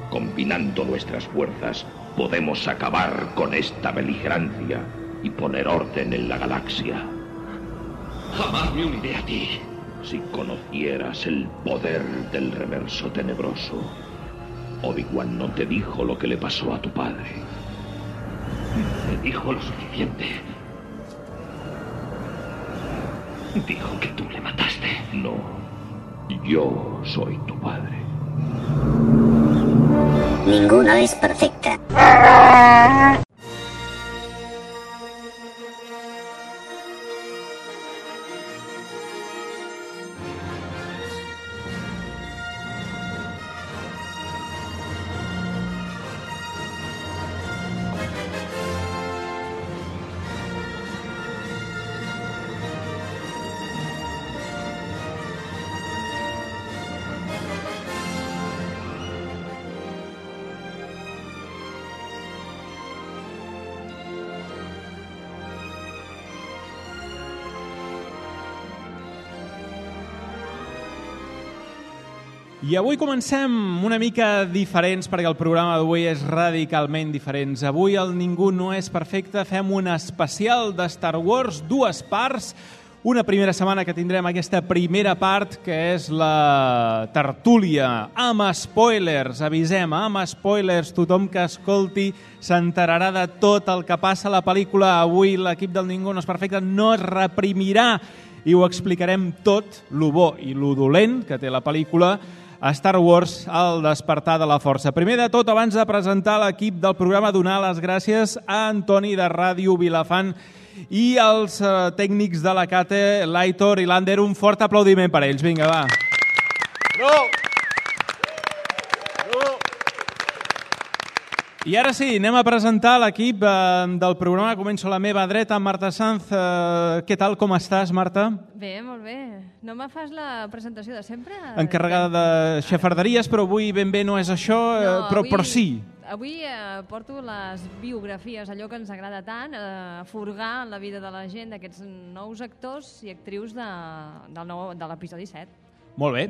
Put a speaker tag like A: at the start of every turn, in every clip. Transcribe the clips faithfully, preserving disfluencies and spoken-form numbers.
A: Combinando nuestras fuerzas, podemos acabar con esta beligerancia y poner orden en la galaxia.
B: Jamás me uniré a ti.
A: Si conocieras el poder del reverso tenebroso, Obi-Wan no te dijo lo que le pasó a tu padre.
B: Me dijo lo suficiente. Dijo que tú le mataste.
A: No, yo soy tu padre.
C: Ninguna es perfecta.
D: I avui comencem una mica diferents, perquè el programa d'avui és radicalment diferent. Avui el Ningú no és perfecte, fem un especial de Star Wars, dues parts. Una primera setmana que tindrem aquesta primera part, que és la tertúlia, amb spoilers, avisem, amb spoilers, tothom que escolti s'enterarà de tot el que passa a la pel·lícula. Avui l'equip del Ningú no és perfecte no es reprimirà i ho explicarem tot, lo bo i lo dolent que té la pel·lícula a Star Wars, el despertar de la força. Primer de tot, abans de presentar l'equip del programa, donar les gràcies a Antoni de Ràdio Vilafant i als eh, tècnics de la Cate, l'Aitor i l'Ander. Un fort aplaudiment per ells. Vinga, va.
E: No!
D: I ara sí, anem a presentar l'equip eh, del programa. Començo a la meva dreta, Marta Sanz. Eh, què tal, com estàs, Marta?
F: Bé, molt bé. No me fas la presentació de sempre?
D: Encarregada de xafarderies, però avui ben bé no és això, eh,
F: No,
D: però,
F: avui-
D: però sí.
F: Avui eh, porto les biografies, allò que ens agrada tant, eh, furgar en la vida de la gent d'aquests nous actors i actrius de, del nou, de l'episodi set.
D: Molt bé.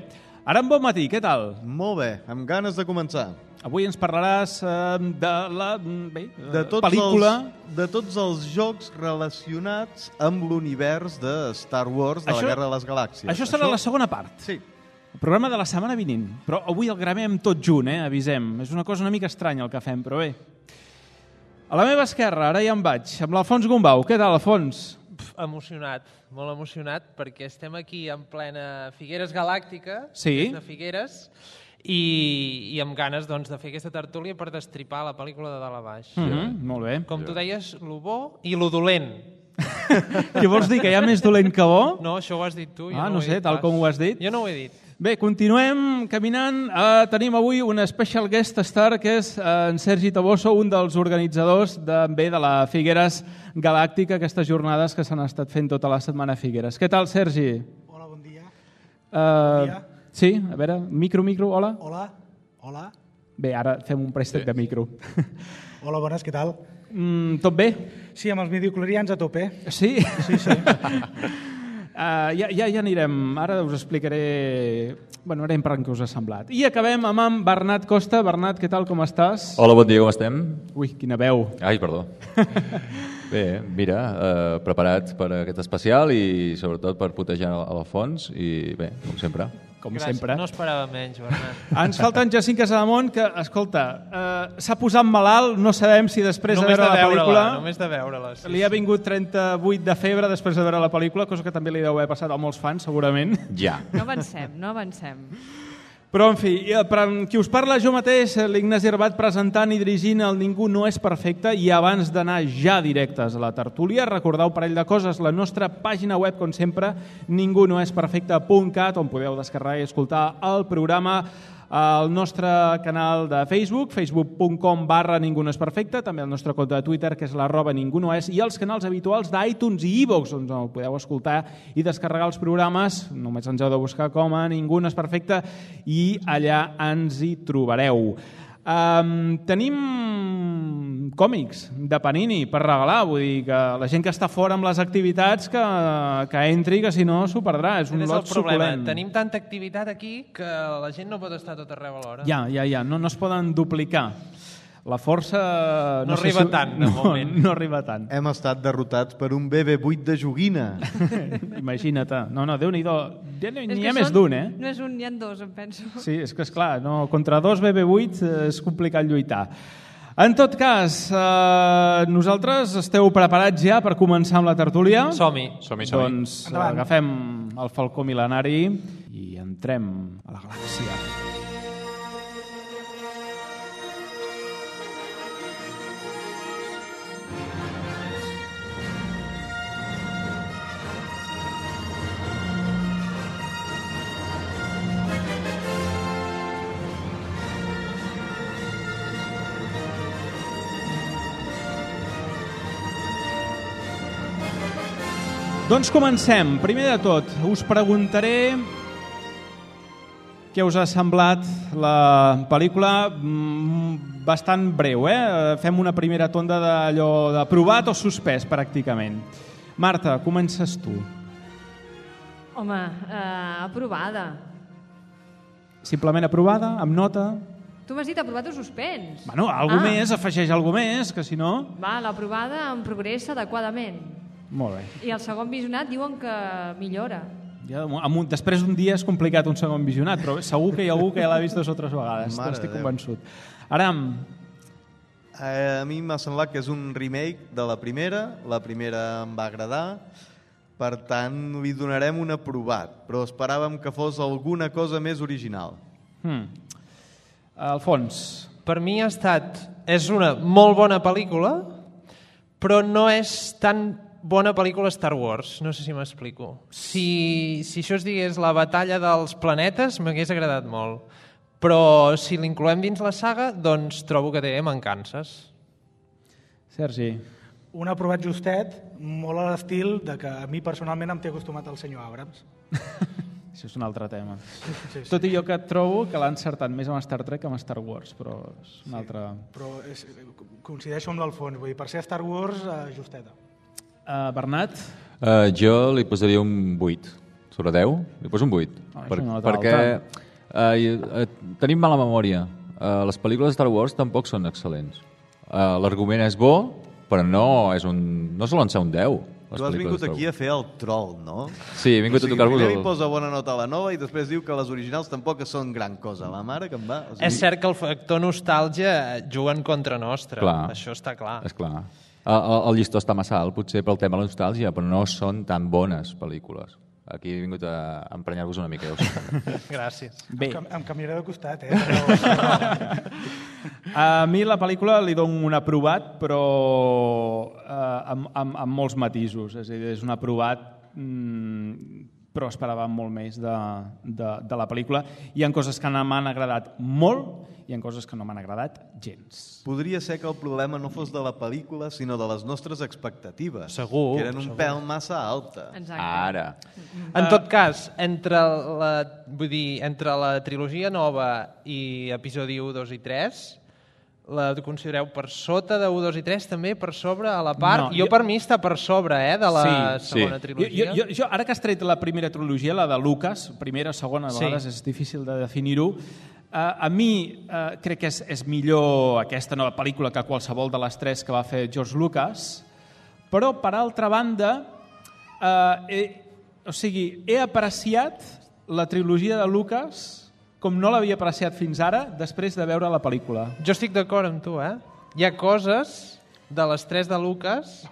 D: Ara en bon matí, què tal?
E: Molt bé, amb ganes de començar.
D: Avui ens parlaràs eh, de la bé,
E: De tots,
D: pel·lícula...
E: els, de tots els jocs relacionats amb l'univers de Star Wars, de
D: Això-
E: la Guerra de les Galàxies.
D: Això serà la segona part.
E: Sí.
D: El programa de la setmana vinent. Però avui el gravem tot junt, eh? Avisem. És una cosa una mica estranya el que fem, però bé. A la meva esquerra, ara ja em vaig, amb l'Alfons Gombau. Què tal, Alfons?
G: Pf, emocionat, molt emocionat, perquè estem aquí en plena Figueres Galàctica,
D: Sí.
G: des de Figueres, i, i amb ganes doncs, de fer aquesta tertúlia per destripar la pel·lícula de dalt a baix.
D: Mm -hmm, molt bé.
G: Com tu deies, lo bo i lo dolent.
D: Què vols dir, que hi ha més dolent que bo?
G: No, això ho has dit tu. Jo
D: Ah,
G: no,
D: no
G: ho he
D: sé,
G: dit
D: tal
G: pas.
D: com ho has dit.
G: Jo no ho he dit.
D: Bé, continuem caminant. Uh, tenim avui un special guest star, que és uh, en Sergi Taboso, un dels organitzadors de, bé, de la Figueres Galàctica, aquestes jornades que s'han estat fent tota la setmana a Figueres. Què tal, Sergi?
H: Hola, bon dia.
D: Uh,
H: Bon dia.
D: Sí, a veure, micro, micro, hola.
H: Hola, hola.
D: Bé, ara fem un préstec de micro.
H: Hola, bones, què tal?
D: Mm, tot bé?
H: Sí, amb els midiclorians a tope.
D: Sí?
H: Sí, sí.
D: Uh, ja, ja, ja anirem, ara us explicaré, bueno, ara per què us ha semblat. I acabem amb en Bernat Costa. Bernat, què tal, com estàs?
I: Hola, bon dia, com estem?
D: Ui, quina veu.
I: Ai, perdó. Bé, mira, eh, preparat per aquest especial i sobretot per putejar a l'Alfons i bé, com sempre.
D: Com
G: Gràcies.
D: sempre.
G: No esperava menys, Bernat.
D: Ens falta en Jacint Casademont, que, escolta, eh, s'ha posat malalt, no sabem si després
G: només
D: de veure la
G: veure-la,
D: pel·lícula...
G: Només de veure-la. Sí,
D: Li ha vingut trenta-vuit de febre després de veure la pel·lícula, cosa que també li deu haver passat a molts fans, segurament.
I: Ja.
F: No avancem, no avancem.
D: Però, en fi, per qui us parla jo mateix, l'Ignasi Herbat, presentant i dirigint el Ningú no és perfecte, i abans d'anar ja directes a la tertúlia, recordeu un parell de coses, la nostra pàgina web, com sempre, ningú no és perfecte punt cat, on podeu descarregar i escoltar el programa, el nostre canal de Facebook, facebook punt com barra ningú no és perfecte, també el nostre compte de Twitter, que és l'arroba ningú no és, i els canals habituals d'iTunes i iVoox, on el podeu escoltar i descarregar els programes. Només ens heu de buscar com a Ningú no és perfecte i allà ens hi trobareu. Um, tenim còmics de Panini per regalar, vull dir que la gent que està fora amb les activitats que, que entri, que si no s'ho perdrà, és un
G: és
D: lot
G: el problema.
D: suculent.
G: Tenim tanta activitat aquí que la gent no pot estar tot arreu alhora.
D: Ja, ja, ja, no, no es poden duplicar. La força...
G: No, no
D: sé
G: arriba
D: si...
G: tant, de
D: no,
G: moment.
D: No arriba tant.
E: Hem estat derrotats per un B B vuit de joguina.
D: Imagina't. No, no, Déu-n'hi-do. N'hi
F: És
D: ha
F: que
D: més
F: són-
D: d'un, eh?
F: No és un, n'hi ha dos, em penso.
D: Sí, és que, esclar, no, contra dos B B vuit és complicat lluitar. En tot cas, eh, nosaltres esteu preparats ja per començar amb la tertúlia?
G: Som-hi.
I: Som-hi, som-hi.
D: Doncs
H: Endavant.
D: agafem el falcó mil·lenari i entrem a la galàxia. Doncs comencem. Primer de tot, us preguntaré què us ha semblat la pel·lícula, mm, bastant breu, eh? Fem una primera tonda d'allò de provat o suspès, pràcticament. Marta, comences tu.
F: Home, eh, aprovada.
D: Simplement aprovada, amb nota?
F: Tu m'has dit aprovat o suspens?
D: Bueno, algú
F: Ah.
D: més, afegeix algú més, que si no...
F: Va, l'aprovada en progressa adequadament.
D: Molt bé.
F: I el segon visionat diuen que millora.
D: Ja, amb un, després d'un dia és complicat un segon visionat, però segur que hi ha algú que ja l'ha vist dues o tres vegades.
E: Mare
D: Estic
E: de Déu.
D: convençut. Aram,
E: Eh, a mi m'ha semblat que és un remake de la primera. La primera em va agradar. Per tant, li donarem un aprovat. Però esperàvem que fos alguna cosa més original.
D: hmm. Alfons,
G: Per mi ha estat... És una molt bona pel·lícula, però no és tan bona pel·lícula Star Wars. No sé si m'explico. Si, si això es digués la batalla dels planetes, m'hagués agradat molt. Però si l'incloem dins la saga, doncs trobo que té mancances.
D: Sergi.
H: Un aprovat justet, molt a l'estil de que a mi personalment em té acostumat el senyor Abrams.
D: Això és un altre tema.
H: Sí, sí.
D: Tot i jo que trobo que l'ha encertat més amb Star Trek que amb Star Wars, però és un altre...
H: Però és, coincideixo amb l'Alfons, vull dir, per ser Star Wars, eh, justeta.
D: Uh, Bernat?
I: Uh, jo li posaria un vuit. Sobre deu, li poso un vuit.
D: Ah,
I: per,
D: és una nota
I: perquè uh, uh, tenim mala memòria. Uh, les pel·lícules de Star Wars tampoc són excel·lents. Uh, L'argument és bo, però no, és un, no solen ser un deu.
E: Tu has vingut aquí a fer el troll, no?
I: Sí, he vingut
E: o sigui,
I: a tocar-vos
E: primer
I: el...
E: li posa bona nota a la nova i després diu que les originals tampoc són gran cosa. La mare que em va... O sigui,
G: És cert que el factor nostàlgia juga en contra nostra.
I: Clar.
G: Això està clar.
I: És clar. El, el, el llistó està massa alt, potser pel tema de la nostàlgia, però no són tan bones pel·lícules. Aquí he vingut a emprenyar-vos una mica. Ja ho sé.
G: Gràcies.
D: Bé,
H: Em, cam- em canviaré de costat, eh? Però,
D: a mi la pel·lícula li dono un aprovat, però uh, amb, amb, amb molts matisos. És a dir, és un aprovat, mm, però esperàvem molt més de, de, de la pel·lícula. Hi ha coses que m'han agradat molt i hi ha coses que no m'han agradat gens.
E: podria ser que el problema no fos de la pel·lícula, sinó de les nostres expectatives.
G: Segur,
E: Que eren un
G: segur.
E: pèl massa alta.
F: Exacte.
I: Ara.
G: En tot cas, entre la, vull dir, entre la trilogia nova i episodi u, dos i tres, la considereu per sota de u, dos i tres, també per sobre, a la part?
D: No,
G: jo,
D: jo-
G: per mi està per sobre, eh, de la
I: Sí,
G: segona
I: sí.
G: trilogia.
D: Jo, jo, jo, ara que has tret la primera trilogia, la de Lucas, primera, segona, a
G: Sí.
D: vegades és difícil de definir-ho, eh, a mi eh, crec que és, és millor aquesta nova pel·lícula que qualsevol de les tres que va fer George Lucas, però, per altra banda, eh, he, o sigui, he apreciat la trilogia de Lucas com no l'havia apreciat fins ara, després de veure la pel·lícula.
G: Jo estic d'acord amb tu, eh? Hi ha coses de les tres de Lucas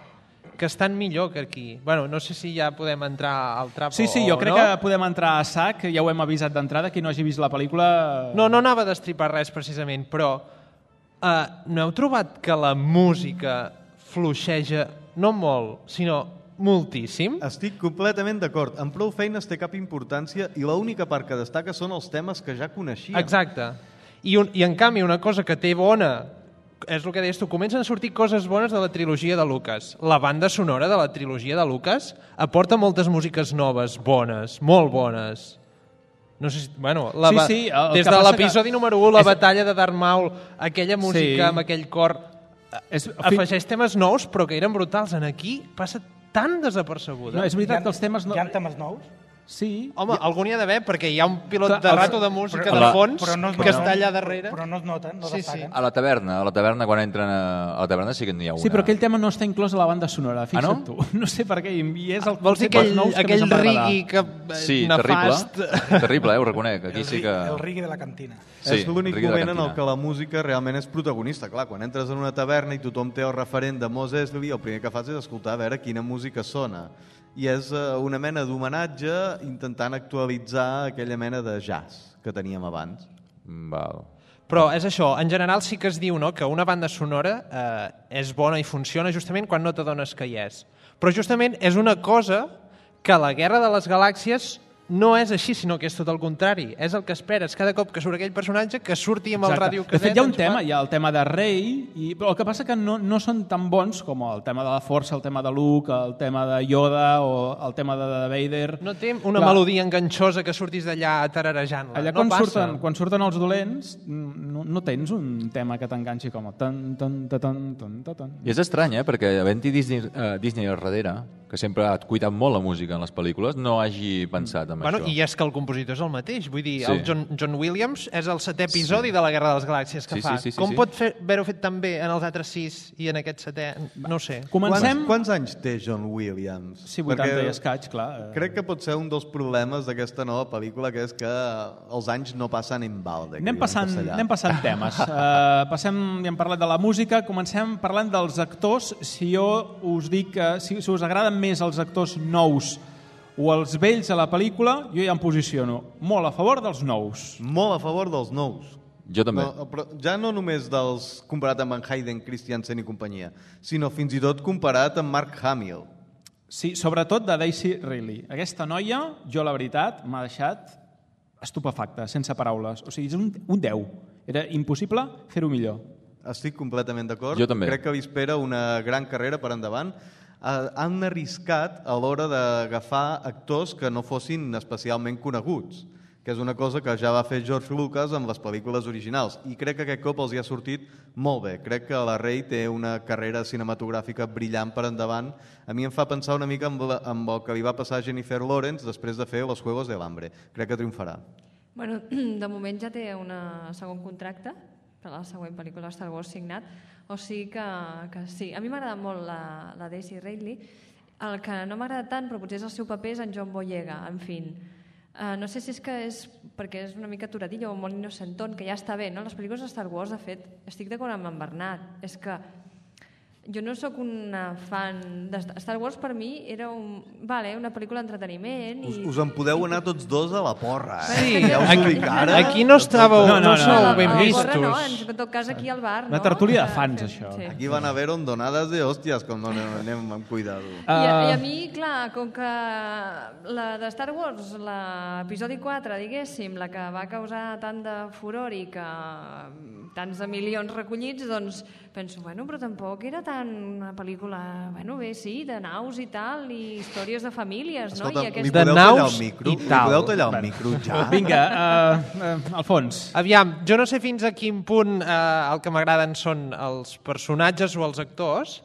G: que estan millor que aquí. Bueno, no sé si ja podem entrar al trapo
D: Sí, sí, jo
G: o
D: crec
G: no.
D: que podem entrar a sac, ja ho hem avisat d'entrada, qui no hagi vist la pel·lícula...
G: No, no anava a destripar res precisament, però eh, no heu trobat que la música fluixeja no molt, sinó moltíssim?
E: Estic completament d'acord. En prou feines té cap importància i l'única part que destaca són els temes que ja coneixíem.
G: Exacte. I, un, I en canvi, una cosa que té bona, és el que deies tu, comencen a sortir coses bones de la trilogia de Lucas. La banda sonora de la trilogia de Lucas aporta moltes músiques noves, bones, molt bones. No sé si, bueno, la,
D: Sí,
G: ba-
D: sí, el
G: des
D: que
G: de
D: passa
G: l'episodi
D: que-
G: número u, la
D: és-
G: batalla de Darth Maul, aquella música
D: Sí.
G: amb aquell cor
D: És-
G: afegeix temes nous, però que eren brutals. En aquí passa tan desapercebuda.
D: No, és veritat que els temes... No...
H: Hi ha temes nous?
D: Sí.
G: Home, algun hi ha d'haver, perquè hi ha un pilot
D: Clar,
G: de
D: els-
G: rato de música
I: però-
G: de fons
H: però no es
G: que
H: noten.
G: està allà darrere.
H: Però no es noten, no
G: Sí, sí.
H: destaquen.
I: A la taverna, a la taverna quan entren a, a la taverna sí que n'hi ha una.
D: Sí, però aquell tema no està inclòs a la banda sonora, fixa't
I: Ah, no?
D: tu. No sé per què, i és el
G: Vols dir
D: dels
G: aquell,
D: nous que
G: aquell
D: més em va agradar.
G: rigui que eh,
I: Sí,
G: nefast?
I: terrible. Terrible, eh, ho reconec. Aquí
H: El,
I: sí
H: ri-
I: que...
H: el rigui de la cantina.
I: Sí,
E: és l'únic
I: rigui de la
E: moment en el
I: cantina.
E: que la música realment és protagonista. Clar, quan entres en una taverna i tothom té el referent de Mos Eisley, el primer que fas és escoltar a veure quina música sona. I és eh, una mena d'homenatge intentant actualitzar aquella mena de jazz que teníem abans.
I: Val.
G: Però és això, en general sí que es diu, no?, que una banda sonora eh, és bona i funciona justament quan no t'adones que hi és. Però justament és una cosa que a la Guerra de les Galàxies no és així, sinó que és tot el contrari. És el que esperes cada cop que surt aquell personatge que surti amb el
D: Exacte.
G: ràdio
D: De
G: cadet.
D: fet, hi ha un
G: ens
D: tema,
G: fa-
D: hi ha el tema de Rey, i... però el que passa que no, no són tan bons com el tema de la Força, el tema de Luke, el tema de Yoda o el tema de Vader.
G: No té una
D: Clar,
G: melodia enganxosa que surtis d'allà tararejant-la.
D: Allà
G: no
D: quan,
G: passa.
D: surten, quan surten els dolents no, no tens un tema que t'enganxi com el tan, tan, tan, tan, tan, tan, tan.
I: I és estrany, eh? Perquè havent-hi Disney, uh, Disney al darrere, que sempre ha cuidat molt la música en les pel·lícules, no hagi pensat en
G: Bueno,
I: això.
G: i és que el compositor és el mateix. Vull dir,
I: Sí.
G: el John, John Williams és el setè episodi de la Guerra de les Galàxies que
I: Sí,
G: fa.
I: sí, sí, sí,
G: Com
I: sí.
G: pot fer- haver-ho fet tan bé en els altres sis i en aquest setè? No ho sé.
D: Comencem...
E: Quants, quants anys té John Williams?
D: Sí, vuitanta
E: Perquè
D: i escaig, clar.
E: Crec que pot ser un dels problemes d'aquesta nova pel·lícula, que és que els anys no passen en balde. que
D: Anem
E: diuen en
D: passant,
E: castellà.
D: anem passant temes. Uh, passem, ja hem parlat de la música, comencem parlant dels actors. Si jo us dic que si, si us agraden més els actors nous o els vells a la pel·lícula, jo ja em posiciono molt a favor dels nous.
E: Molt a favor dels nous.
I: Jo també.
E: No, però ja no només dels comparat amb en Hayden Christensen i companyia, sinó fins i tot comparat amb Mark Hamill.
D: Sí, sobretot de Daisy Ridley. Aquesta noia, jo la veritat, m'ha deixat estupefacta, sense paraules. O sigui, és un, un deu. Era impossible fer-ho millor.
E: Estic completament d'acord.
I: Jo també.
E: Crec que li espera una gran carrera per endavant. Eh, han arriscat a l'hora d'agafar actors que no fossin especialment coneguts, que és una cosa que ja va fer George Lucas amb les pel·lícules originals, i crec que aquest cop els hi ha sortit molt bé. Crec que la Rey té una carrera cinematogràfica brillant per endavant. A mi em fa pensar una mica amb, la, amb el que li va passar a Jennifer Lawrence després de fer Los Juegos del Hambre. Crec que triomfarà.
F: Bueno, de moment ja té un segon contracte per a la següent pel·lícula Star Wars signat, o sigui que, que sí. A mi m'agrada molt la, la Daisy Ridley. El que no m'agrada tant, però potser és el seu paper, és en John Boyega, en fi. Uh, no sé si és que és perquè és una mica aturadillo o molt innocentón, que ja està bé, no? Les pel·lícules de Star Wars, de fet, estic d'acord amb en Bernat, és que jo no sóc una fan de Star Wars. Per mi era un, vale, una pel·lícula d'entreteniment i...
E: Us, us en podeu anar tots dos a la porra, eh?
G: Sí,
E: ja us ho dic ara.
G: Aquí no estàveu,
D: No,
G: no,
D: no, no,
G: sou
D: no,
G: ben
D: no.
G: vistos.
F: Corre, no? En, en tot cas, aquí al bar, no?
D: Una tertúlia de
F: Que
D: fans,
F: fem-
D: això.
F: Sí.
E: Aquí van a haver donades de hòsties, com no anem, anem amb cuidado.
F: I, a, I a
D: Uh,
F: mi, clar, com que la de Star Wars, l'episodi quatre, diguéssim, la que va causar tant de furor i que tants de milions recollits, doncs penso, bueno, però tampoc era tan una pel·lícula, bueno, bé, sí, de naus i tal, i històries de famílies, no?
E: Escolta,
F: I
E: li
F: aquest...
G: De
E: podeu tallar
G: naus
E: el micro?
G: i
E: Li
G: tal.
E: podeu tallar el micro ja?
D: Vinga, uh, uh, Alfons.
G: Aviam, jo no sé fins a quin punt eh, el que m'agraden són els personatges o els actors,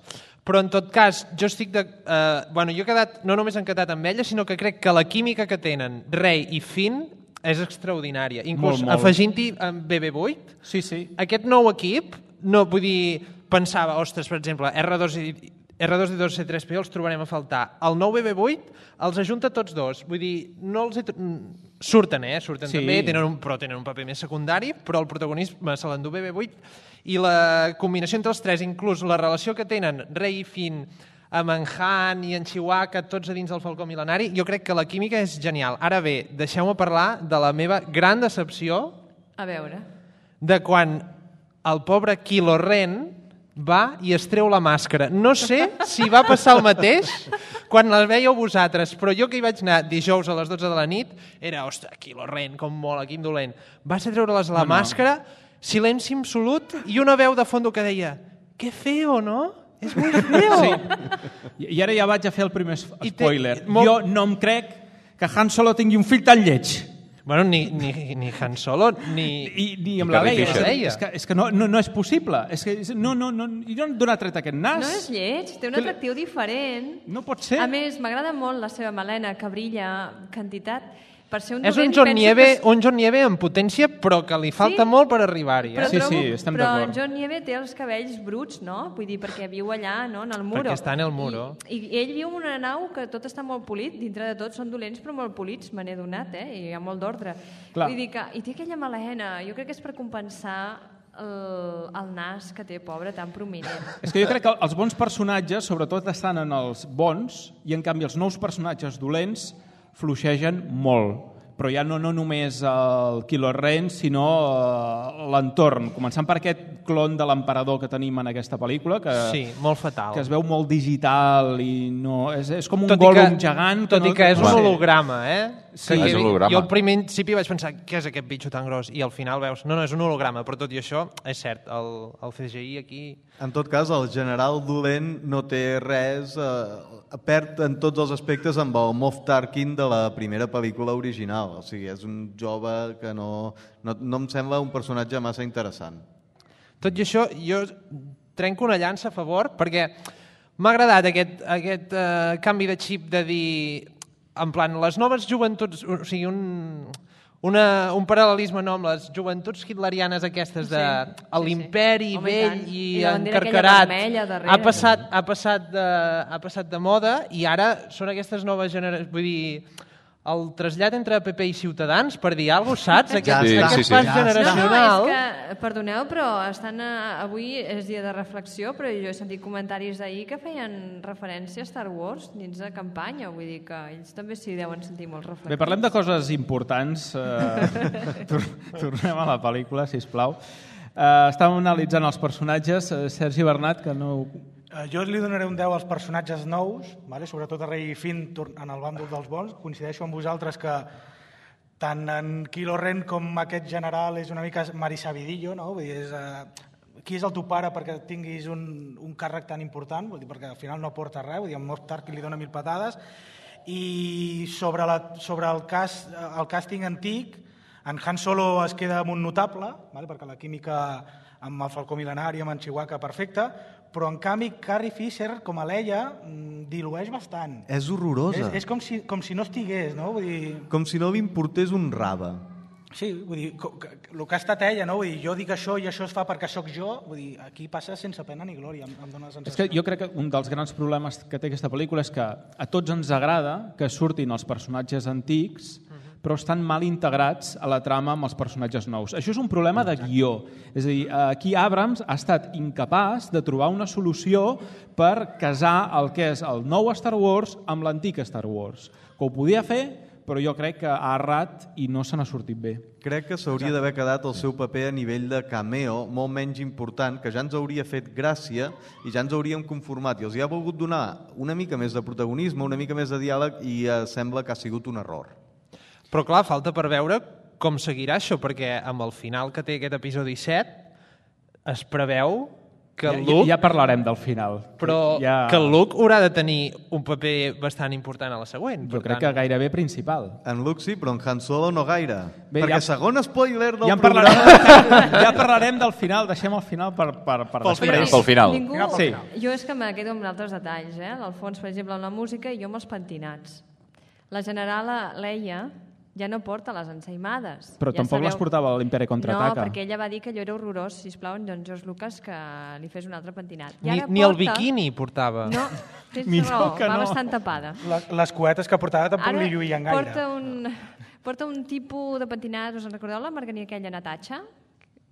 G: però en tot cas, jo estic de... Eh, bueno, jo he quedat, no només encantat amb ella, sinó que crec que la química que tenen Rey i Finn és extraordinària. Inclús
D: Molt, molt.
G: afegint-hi amb B B vuit,
D: Sí, sí.
G: aquest nou equip, no vull dir, pensava, ostres, per exemple, R dos i R dos D dos C tres P O els trobarem a faltar. El nou B B vuit els ajunta tots dos. Vull dir, no els he... tro- mm, surten, eh? Surten
D: Sí.
G: també, tenen un, però tenen un paper més secundari, però el protagonisme se l'endú B B vuit i la combinació entre els tres, inclús la relació que tenen Rey i Finn amb en Han i en Chewbacca, tots a dins del Falcó Mil·lenari, jo crec que la química és genial. Ara bé, deixeu-me parlar de la meva gran decepció
F: A veure...
G: de quan el pobre Kylo Ren va i es treu la màscara. No sé si va passar el mateix quan la veieu vosaltres, però jo que hi vaig anar dijous a les dotze de la nit, era, ostres, Kylo Ren, com mola, quin dolent. Va ser treure-les la
D: No, no.
G: màscara, silenci absolut, i una veu de fondo que deia, que feo, no? És molt feo.
D: I, I ara ja vaig a fer el primer
G: I té-
D: spoiler.
G: molt-
D: Jo no em crec que Han Solo tingui un fill tan lleig.
G: Bueno, ni, ni, ni Han Solo, ni...
D: I, ni amb
I: I
D: la
I: Carrie
D: Leia.
I: Fisher.
D: És que, és que no, no, no és possible. És que no, no, no, jo no d'on ha tret aquest nas?
F: No és lleig, té un atractiu diferent.
D: No pot ser.
F: A més, m'agrada molt la seva melena, que brilla quantitat. Per ser un
G: És
F: dolent,
G: un John,
F: penso
G: Nieve,
F: que...
G: un John Nieve en potència, però que li falta
F: Sí,
G: molt per arribar-hi.
F: Però,
G: Eh?
D: Sí,
F: trobo,
D: sí, estem
F: però
D: d'acord.
F: en John Nieve té els cabells bruts, no? Vull dir, perquè viu allà, no?, en el muro.
G: Perquè està en el muro.
F: I, I ell viu en una nau que tot està molt polit, dintre de tot són dolents però molt polits, me n'he donat, eh? I hi ha molt d'ordre.
D: Clar.
F: Vull dir que... I té aquella melena, jo crec que és per compensar el, el nas que té, pobre, tan prominent.
D: És que jo crec que els bons personatges, sobretot, estan en els bons, i en canvi els nous personatges dolents fluixegen molt. Però ja no, no només el Kylo Ren, sinó uh, l'entorn. Començant per aquest clon de l'emperador que tenim en aquesta pel·lícula, que,
G: Sí, molt fatal.
D: que es veu molt digital i no... És, és com un
G: Tot i
D: Gollum
G: que-
D: gegant.
G: Tot
D: no,
G: i que és
D: no
G: un
D: sé.
G: holograma, eh?
D: Sí,
G: Que
I: és
G: jo-
I: un holograma.
G: Jo al primer principi vaig pensar, què és aquest bitxo tan gros? I al final veus, no, no, és un holograma, però tot i això, és cert, el, el C G I aquí...
E: En tot cas, el general dolent no té res, eh, perd en tots els aspectes amb el Moff Tarkin de la primera pel·lícula original. O sigui, és un jove que no, no, no em sembla un personatge massa interessant.
G: Tot i això, jo trenco una llança a favor, perquè m'ha agradat aquest, aquest uh, canvi de xip de dir, en plan, les noves joventuts, o sigui, un, una, un paral·lelisme no amb les joventuts hitlerianes aquestes de
F: Sí, sí,
G: l'imperi
F: sí. Home, i
G: vell
F: tant.
G: i,
F: I la bandera aquella
G: encarcarat
F: vermella darrere,
G: ha passat, ha, passat de, ha passat de moda i ara són aquestes noves generacions, vull dir, el trasllat entre P P i Ciutadans, per dir alguna cosa, saps? Aquest,
E: Sí,
G: aquest
I: sí, sí.
G: pas
E: Ja està.
G: generacional...
F: No, no, és que, perdoneu, però estan a, avui és dia de reflexió, però jo he sentit comentaris d'ahir que feien referència a Star Wars dins de campanya, vull dir que ells també s'hi deuen sentir molt reflectits.
D: Bé, parlem de coses importants. Eh, tor tornem a la pel·lícula, sisplau. Eh, estàvem analitzant els personatges. Eh, Sergi Bernat, que no...
H: Eh, Jo li donaré un deu als personatges nous, vale? Sobretot a Rey i Finn tor- en el bàndol dels bons. Coincideixo amb vosaltres que tant en Kylo Ren com aquest general és una mica marisabidillo, no? Vull dir, és, eh, qui és el teu pare perquè tinguis un, un càrrec tan important? Vull dir, perquè al final no aporta res, vull dir, en Moff Tarkin li dona mil patades. I sobre, la, sobre el, cas, el càsting antic, en Han Solo es queda amb un notable, vale? Perquè la química amb el Falcó Mil·lenari, amb en Chewbacca, perfecta, però en canvi Carrie Fisher, com a Leia, mm, dilueix bastant.
E: És horrorosa.
H: És, és com, si, com si no estigués, no? Vull dir,
E: Com si no li importés un rave.
H: sí, vull dir, co- que- que- el que ha estat ella, no? Vull dir, jo dic això i això es fa perquè sóc jo, vull dir, aquí passa sense pena ni glòria, em, em dóna la
D: És
H: sensació.
D: que jo crec que un dels grans problemes que té aquesta pel·lícula és que a tots ens agrada que surtin els personatges antics, però estan mal integrats a la trama amb els personatges nous. Això és un problema de guió. És a dir, aquí Abrams ha estat incapaç de trobar una solució per casar el que és el nou Star Wars amb l'antic Star Wars. Que ho podia fer, però jo crec que ha errat i no se n'ha sortit bé.
E: Crec que s'hauria d'haver quedat el seu paper a nivell de cameo molt menys important, que ja ens hauria fet gràcia i ja ens hauríem conformat. I els hi ha volgut donar una mica més de protagonisme, una mica més de diàleg i eh, sembla que ha sigut un error.
G: Però clar, falta per veure com seguirà això, perquè amb el final que té aquest episodi set es preveu que
D: Ja,
G: el
D: ja,
G: Luke,
D: ja parlarem del final.
G: però
D: ja...
G: que el Luke haurà de tenir un paper bastant important a la següent.
D: Jo
G: Per
D: crec que
G: tant,
D: gairebé principal.
E: En Luke sí, però en Han Solo no gaire.
D: Bé,
E: Perquè
D: ja-
E: segon spoiler del
D: Ja en
E: programa...
D: parlarem, ja parlarem del final, deixem el final per, per, per
G: Pels
D: després.
I: Pel final.
F: Ningú...
H: Final pel
D: Sí.
H: final.
F: Jo és que me quedo amb altres detalls, eh? L'Alfons, per exemple, amb la música i jo amb els pentinats. La generala Leia ja no porta les ensaïmades.
D: Però
F: ja
D: tampoc les portava a l'Imperi Contraataca.
F: No, perquè ella va dir que allò era horrorós, sisplau, en John George Lucas, que li fes un altre pentinat. I
G: ni,
F: ara
G: ni el
F: porta-
G: biquini portava.
F: No, tens
D: Millor
F: raó,
D: que
F: va
D: no.
F: bastant tapada.
H: La- Les cuetes que portava tampoc
F: Ara
H: li lluïen gaire.
F: porta un, porta un tipus de pentinat, us en recordeu la margania aquella Natatxa?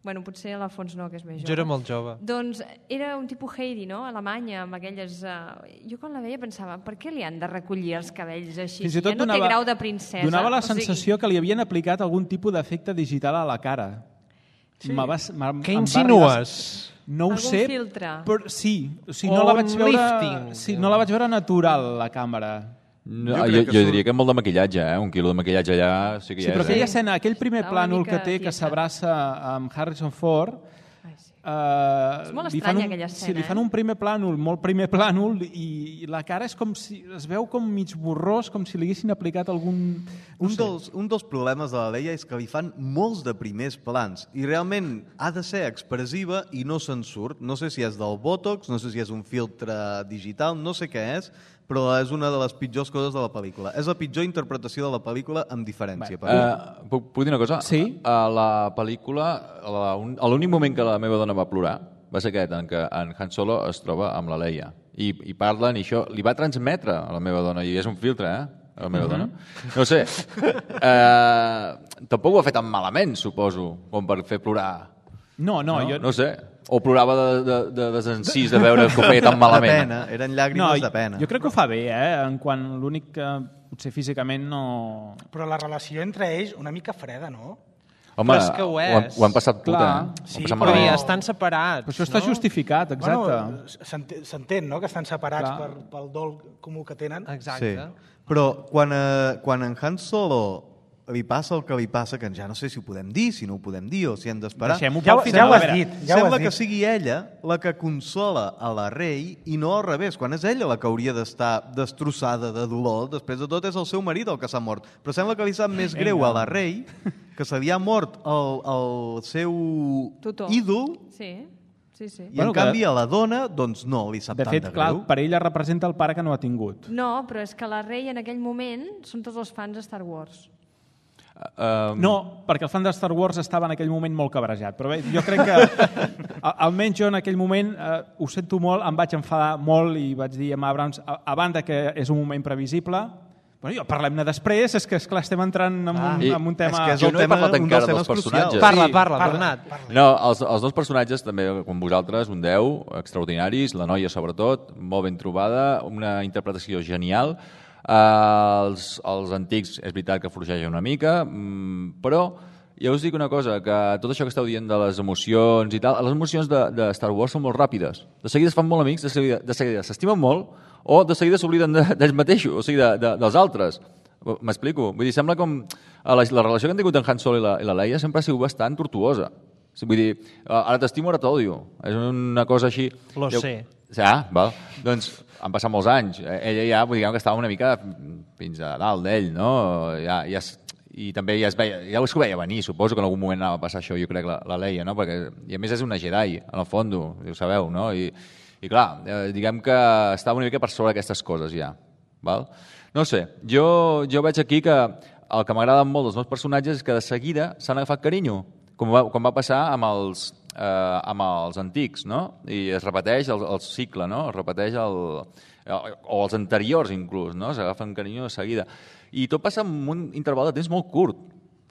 F: Bueno, potser l'Alfons no, que és més jove.
G: Jo era molt jove.
F: Doncs era un tipus Heidi, no?, alemanya, amb aquelles... Uh... Jo quan la veia pensava, per què li han de recollir els cabells així?
D: Fins i
F: Si
D: tot
F: ja no
D: donava,
F: té grau de princesa.
D: donava la
F: O sigui,
D: sensació que li havien aplicat algun tipus d'efecte digital a la cara. Sí.
G: Què
D: Què
G: insinues?
F: Algun
D: No ho sé,
F: filtre.
D: però sí. O sigui,
G: O
D: no la
G: un
D: vaig veure,
G: lifting.
D: sí, no la vaig veure natural, la càmera.
I: No,
E: Jo
I: jo,
E: crec
I: jo,
E: que surt-
I: diria que molt de maquillatge, eh? Un quilo de maquillatge allà sí que
D: Sí,
I: hi
D: però
I: és.
D: aquella
I: Eh?
D: escena, aquell primer
F: Està una
D: plànol
F: mica
D: que té, que
F: tiesa.
D: s'abraça amb Harrison Ford,
F: Ai, sí.
D: Uh,
F: és molt
D: li fan
F: estranya
D: un,
F: aquella
D: sí,
F: escena,
D: li fan
F: eh?
D: un primer plànol, molt primer plànol, i la cara és com si es veu com mig borrós, com si li haguessin aplicat algun... No
E: un,
D: sé.
E: dels, un dels problemes de la Leia és que li fan molts de primers plans i realment ha de ser expressiva i no se'n surt. No sé si és del Botox, no sé si és un filtre digital, no sé què és, però és una de les pitjors coses de la pel·lícula. És la pitjor interpretació de la pel·lícula amb diferència. Per
I: Uh, puc, puc dir una cosa?
D: Sí.
I: A la pel·lícula, a la- un- a l'únic moment que la meva dona va plorar va ser aquest, en què en Han Solo es troba amb la Leia. I, i parlen, i això li va transmetre a la meva dona, i és un filtre, eh? A la meva uh -huh. dona. No sé. Uh, tampoc ho ha fet tan malament, suposo, com per fer plorar.
D: No, no,
I: No,
D: jo...
I: no sé. O plorava de, de, de desencís de veure que ho feia tan malament.
E: De pena, eren llàgrimes
D: no,
E: de pena.
D: Jo crec que ho fa bé, eh? En quant l'únic que potser físicament no...
H: Però la relació entre ells una mica freda, no?
I: Home,
G: Però és que ho
I: ho, han,
G: és.
I: ho han passat puta,
D: Clar.
I: eh? Ho han
H: Sí,
I: passat
H: però
G: Però
I: malament.
G: ja estan separats,
D: Però això està
G: no?
D: justificat, exacte.
H: Bueno, s'entén- s'entén, no?, que estan separats
D: Clar.
H: per, pel dol comú que tenen.
G: Exacte.
E: Sí. Però quan, eh, quan en Han Solo li passa el que li passa, que ja no sé si ho podem dir, si no ho podem dir o si hem d'esperar.
D: Deixem-ho
H: Ja,
D: pel
H: ho-
D: final.
H: ja ho
D: a
H: has
D: veure.
H: dit. Ja ho
E: Sembla
H: has
E: que
H: dit.
E: sigui ella la que consola a la Rey i no al revés, quan és ella la que hauria d'estar destrossada de dolor. Després de tot és el seu marit el que s'ha mort. Però sembla que li sap més greu a la Rey que se li ha mort el, el seu
F: Tutor.
E: ídol
F: Sí, sí, sí.
E: i
D: Bueno,
E: en
D: que-
E: canvi a la dona doncs no li sap
D: De
E: tant
D: fet,
E: de
D: clar,
E: greu.
D: per ella representa el pare que no ha tingut.
F: No, però és que la Rey en aquell moment són tots els fans de Star Wars.
I: Uh,
D: No, perquè el fan de Star Wars estava en aquell moment molt cabrejat. Però bé, jo crec que, a- almenys jo en aquell moment, eh, ho sento molt, em vaig enfadar molt i vaig dir a Abrams, a, a banda que és un moment previsible, bueno, jo parlem-ne després, és que esclar, estem entrant en un,
I: I-
D: en un tema...
E: és que és
I: Jo
E: el
I: no he
E: tema,
I: parlat
E: un
I: encara
E: dels
I: dels
E: temes
I: personatges.
E: crucials.
G: Parla,
D: Sí.
G: parla,
H: Parla,
G: Bernat.
H: parla.
I: No, els, els dos personatges, també com vosaltres, un deu, extraordinaris, la noia sobretot, molt ben trobada, una interpretació genial. Uh, els, els antics és veritat que forgegen una mica, mm, però ja us dic una cosa, que tot això que esteu dient de les emocions i tal, les emocions de, de Star Wars són molt ràpides. De seguida es fan molt amics, de seguida, de seguida s'estimen molt, o de seguida s'obliden de- d'ells mateixos, o sigui, de, de, dels altres. M'explico? Vull dir, sembla com... La, la relació que han tingut en Han Solo i la, i la Leia sempre ha sigut bastant tortuosa. Vull dir, ara t'estimo, ara t'odio. És una cosa així...
G: Lo
I: Jo-
G: sé.
I: Ja, val. Doncs han passat molts anys. Ella ja, vull dir, que estava una mica fins a dalt d'ell, no? Ja, ja es, I també ja es veia, ja es veia venir, suposo que en algun moment anava a passar això, jo crec, la, la Leia, no? Perquè, i a més és una Jedi, en el fons, ho sabeu, no? I, i clar, eh, diguem que estava una mica per sobre d'aquestes coses ja, val? No sé, jo, jo veig aquí que el que m'agrada molt dels meus personatges és que de seguida s'han agafat carinyo, com va, com va passar amb els, eh, amb els antics, no? I es repeteix el, el cicle, no? Es repeteix el, el, o els anteriors inclús, no? S'agafen carinyo de seguida. I tot passa en un interval de temps molt curt,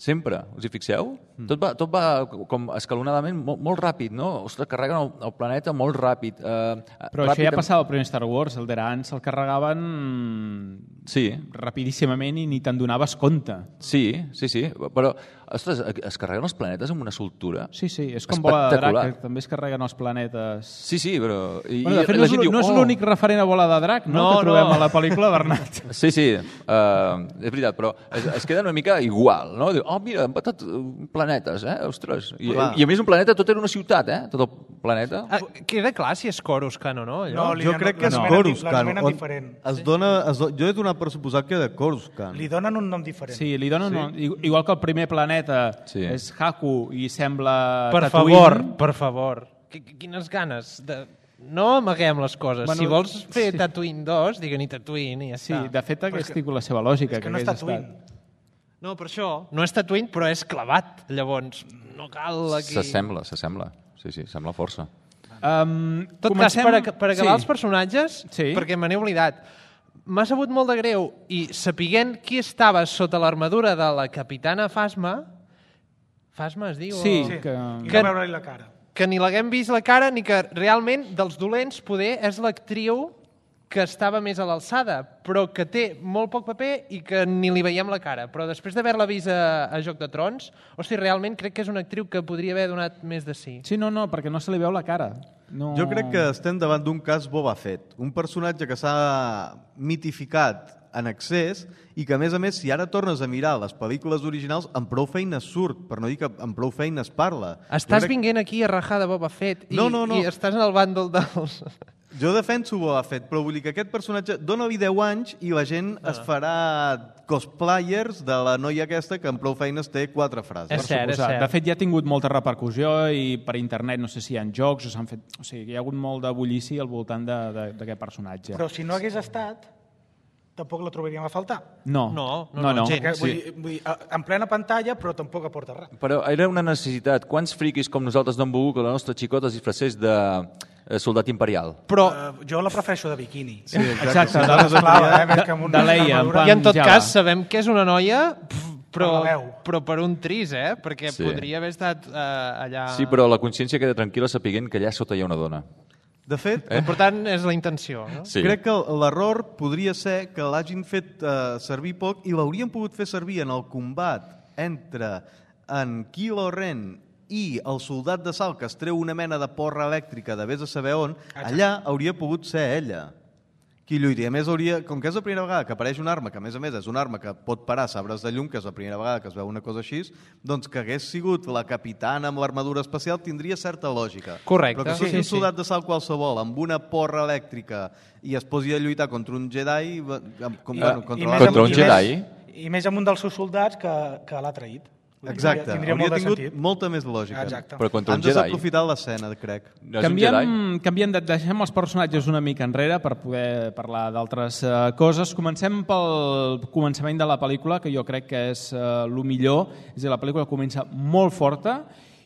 I: sempre, us hi fixeu? Mm. Tot, va, tot va com escalonadament molt, molt ràpid, no? Ostres, carreguen el, el planeta molt ràpid. Eh,
D: Però
I: ràpid
D: això ja
I: amb-
D: passava al primer Star Wars, el Deran se'l carregaven
I: Sí,
D: rapidíssimament i ni te'n donaves compte.
I: sí, sí, sí, però, ostres, es carreguen els planetes amb una soltura.
D: Sí, sí, és com Bola de Drac,
I: Espectacular.
D: que també es carreguen els planetes.
I: Sí, sí, però... I,
D: Bueno, de fet,
I: i
D: no
I: la
D: és,
I: gent diu,
D: no és
I: "Oh".
D: l'únic referent a Bola de Drac, no?,
G: No,
D: que trobem
G: no.
D: a la pel·lícula, Bernat.
I: Sí, sí, uh, és veritat, però es, es queda una mica igual, no? Diu, oh, mira, han patat uh, planetes, eh? Ostres. I,
E: Clar.
I: I a més un planeta, tot era una ciutat, eh? Tot el planeta.
G: Ah, queda clar si és Coruscant o no, allò?
H: No, li
E: Jo
H: donen-
E: crec que és
H: l'anomenen di-
E: Coruscant.
H: l'anomenen
E: on
H: diferent.
E: Es dona, es do... Jo he donat per suposat que de Coruscant.
H: Li donen un nom diferent.
D: Sí, li donen... Sí. Un, igual que el primer planeta
I: Sí.
D: és Haku i sembla
G: Per
D: Tatooine.
G: favor, per favor. Qu- Quines ganes de... No amaguem les coses.
D: Bueno,
G: si vols fer
D: sí.
G: Tatooine dos, digue-hi Tatooine i ja
D: Sí,
G: està.
D: de fet,
H: Però és
D: aquesta
H: que-
D: és la seva lògica.
H: És que no és
D: hagués
H: Tatooine.
D: estat.
G: No, per això. No és Tatooine, però és clavat. Llavors, no cal aquí...
I: S'assembla, s'assembla. Sí, sí, sembla força.
D: Um,
G: En tot cas, per, ac- per acabar sí. els personatges,
D: Sí.
G: perquè me n'he oblidat, m'ha sabut molt de greu i sapiguent qui estava sota l'armadura de la capitana Phasma, Phasma es diu?
D: Sí,
G: o...
H: Sí,
D: que-
H: i
G: Que-
H: no veure-li la cara.
G: que ni l'haguem vist la cara ni que realment dels dolents poder és l'actriu que estava més a l'alçada, però que té molt poc paper i que ni li veiem la cara. Però després d'haver-la vist a, a Joc de Trons, hosti, realment crec que és una actriu que podria haver donat més de sí.
D: Sí, no, no, perquè no se li veu la cara. No...
E: Jo crec que estem davant d'un cas Boba Fett, un personatge que s'ha mitificat en excés i que, a més a més, si ara tornes a mirar les pel·lícules originals, amb prou feines surt, per no dir que amb prou feines parla.
G: Estàs crec... vinguent aquí a rajar de Boba Fett i,
E: no, no, no.
G: i estàs en el bàndol dels...
E: Jo defenso Boba Fett, però vull dir que aquest personatge dona-li deu anys i la gent ah. es farà cosplayers de la noia aquesta que amb prou feines té quatre frases.
G: És cert, és cert.
D: De fet, ja ha tingut molta repercussió i per internet, no sé si hi ha jocs o s'han fet... O sigui, hi ha hagut molt de bullici al voltant d'aquest personatge.
H: Però si no hagués estat, tampoc la trobaríem a faltar.
D: No,
G: no, no.
D: no, no.
H: Sí, vull, dir, vull dir, en plena pantalla, però tampoc aporta res.
I: Però era una necessitat. Quants friquis com nosaltres no hem volgut que la nostra xicota es disfressés de soldat imperial?
H: Però uh, jo la prefereixo de biquini.
E: Sí, exacte.
D: Exacte,
E: sí,
D: de,
E: de,
D: de,
H: eh,
D: de, de, de Leia.
G: I en tot cas sabem que és una noia, però,
H: per
G: però per un tris, eh? Perquè
I: sí.
G: podria haver estat uh, allà...
I: Sí, però la consciència queda tranquil·la sapiguent que allà sota hi ha una dona.
E: De fet,
G: eh? L'important és la intenció. No?
I: Sí.
E: Crec que l'error podria ser que l'hagin fet uh, servir poc i l'haurien pogut fer servir en el combat entre en Kylo Ren i el soldat de salt que es treu una mena de porra elèctrica de vés a saber on, allà hauria pogut ser ella qui lluita. A més, hauria, com que és la primera vegada que apareix una arma, que a més a més és una arma que pot parar sabres de llum, que és la primera vegada que es veu una cosa així, doncs que hagués sigut la capitana amb l'armadura especial tindria certa lògica.
G: Correcte.
E: Però que sigui
G: sí,
E: un soldat de salt qualsevol amb una porra elèctrica i es posi a lluitar contra un Jedi... Com,
H: I,
E: bueno,
H: i,
E: contra,
H: més
I: contra un
H: amb,
I: Jedi?
H: I més, I més amb un dels seus soldats que, que l'ha traït.
E: Exacte,
H: tindria
E: hauria
H: molt de
E: tingut
H: sentit.
E: molta més lògica.
H: Exacte.
I: Però contra un
E: Han
I: Jedi.
E: desaprofitat l'escena, crec.
I: No és un
D: Canviem,
I: Jedi?
D: canviem de, deixem els personatges una mica enrere per poder parlar d'altres uh, coses. Comencem pel començament de la pel·lícula, que jo crec que és uh, el millor. És a dir, la pel·lícula comença molt forta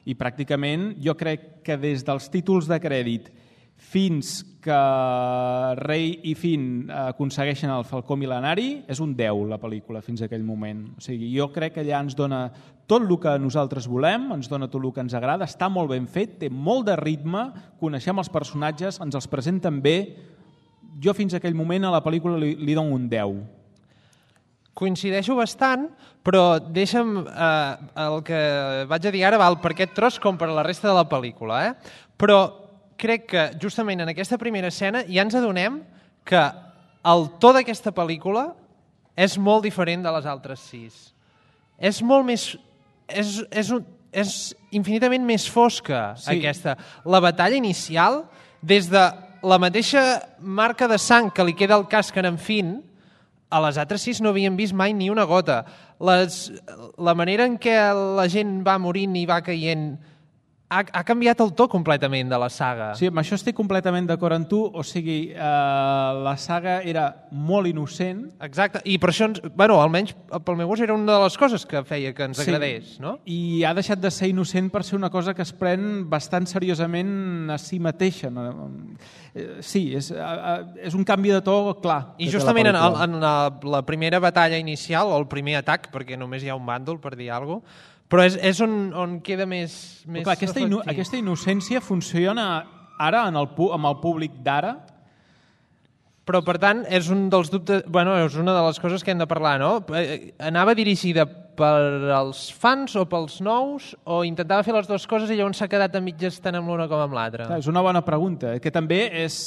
D: i pràcticament jo crec que des dels títols de crèdit fins que Rey i Finn aconsegueixen el Falcó Mil·lenari, és un deu la pel·lícula fins a aquell moment. O sigui, jo crec que allà ens dona tot el que nosaltres volem, ens dona tot el que ens agrada, està molt ben fet, té molt de ritme, coneixem els personatges, ens els presenten bé. Jo fins a aquell moment a la pel·lícula li, li dono un deu.
G: Coincideixo bastant, però deixa'm eh, el que vaig a dir ara val per aquest tros com per la resta de la pel·lícula. Eh? Però crec que justament en aquesta primera escena ja ens adonem que el to d'aquesta pel·lícula és molt diferent de les altres sis. És molt més... És, és, un, és infinitament més fosca, sí. Aquesta. La batalla inicial, des de la mateixa marca de sang que li queda al casc en Finn, a les altres sis no havíem vist mai ni una gota. Les, la manera en què la gent va morint i va caient ha, ha canviat el to completament de la saga.
D: Sí, amb això estic completament d'acord amb tu. O sigui, eh, la saga era molt innocent.
G: Exacte, i per això, ens, bueno, almenys pel meu gust era una de les coses que feia que ens
D: sí.
G: agradés. No?
D: I ha deixat de ser innocent per ser una cosa que es pren bastant seriosament a si mateixa. Sí, és, és un canvi de to clar.
G: I justament en, el, en la, la primera batalla inicial, o el primer atac, perquè només hi ha un bàndol, per dir alguna cosa, però és, és on, on queda més, més
D: clar, aquesta, ino, aquesta innocència funciona ara en el, amb el públic d'ara?
G: Però, per tant, és un dels dubtes... Bueno, és una de les coses que hem de parlar, no? Anava dirigida per als fans o pels nous, o intentava fer les dues coses i llavors s'ha quedat a mitges tant amb l'una com amb l'altra?
D: És una bona pregunta, que també és